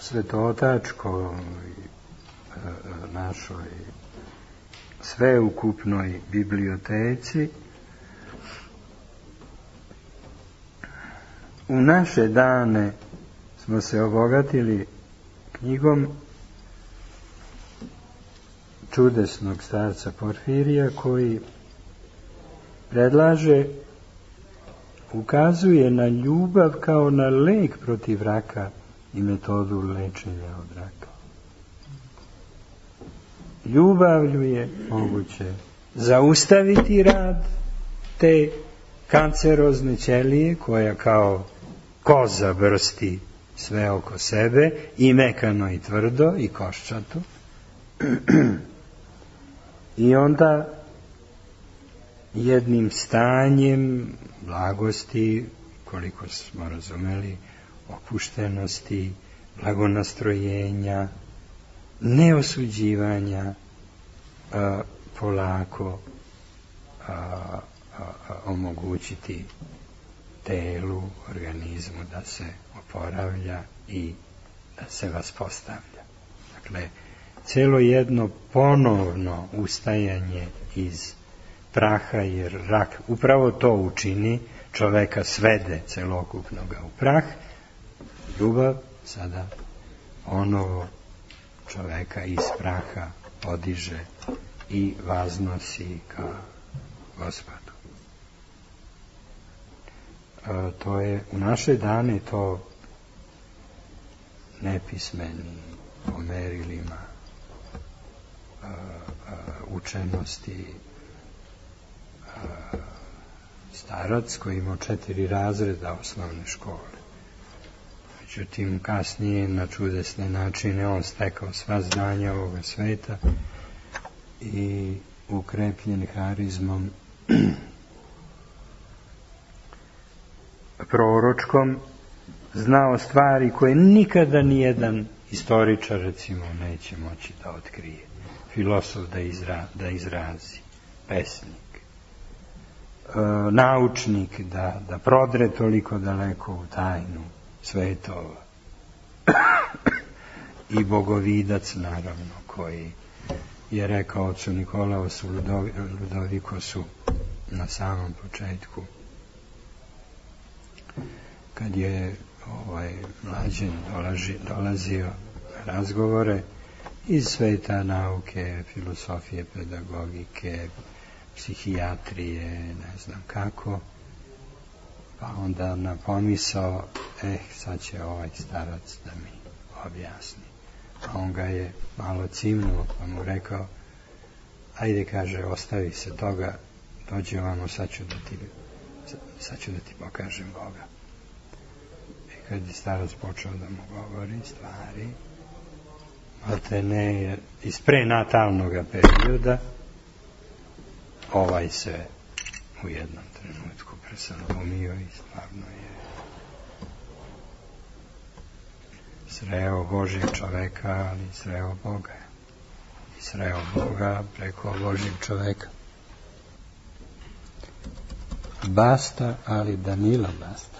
Svetotačkoj našoj sveukupnoj biblioteci u naše dane smo se obogatili knjigom čudesnog starca Porfirija, koji predlaže, ukazuje na ljubav kao na lek protiv raka i metodu lečenja od raka. Ljubavlju je moguće zaustaviti rad te kancerozne ćelije koja kao koza brsti sve oko sebe, i mekano i tvrdo i koščato. I onda jednim stanjem blagosti, koliko smo razumeli, opuštenosti, blagonastrojenja, neosuđivanja, polako omogućiti telu, organizmu da se oporavlja i da se vaspostavlja. Dakle, celo jedno ponovno ustajanje iz praha, jer rak upravo to učini, čoveka svede celokupnoga u prah. Ljubav sada ponovo čoveka iz praha podiže i vaznosi ka Gospodu. To je u naše dane to nepismeni po merilima učenosti starac koji imao 4 razreda osnovne škole. Međutim, kasnije na čudesne načine on stekao sva znanja ovoga sveta i ukrepljen harizmom proročkom znao stvari koje nikada nijedan istoričar, recimo, neće moći da otkrije. Filosof da izrazi, pesnik, naučnik da prodre toliko daleko u tajnu svetova i bogovidac, naravno, koji je rekao ocu Nikolaosu Ludovikosu na samom početku, kad je mlađen dolazio na razgovore iz sveta nauke, filosofije, pedagogike, psihijatrije, ne znam kako, pa onda na pomisao, sad će ovaj starac da mi objasni. A on ga je malo cimnuo, pa mu rekao, ajde, kaže, ostavi se toga, dođe ovamo, sad ću da ti pokažem Boga. I kad je starac počeo da mu govori stvari, te ne, iz prenatalnog perioda, ovaj se u jednom trenutku presalomio i stvarno je sreo Božjeg čoveka, ali sreo Boga. I sreo Boga preko Božjeg čoveka. Basta, ali Danila basta.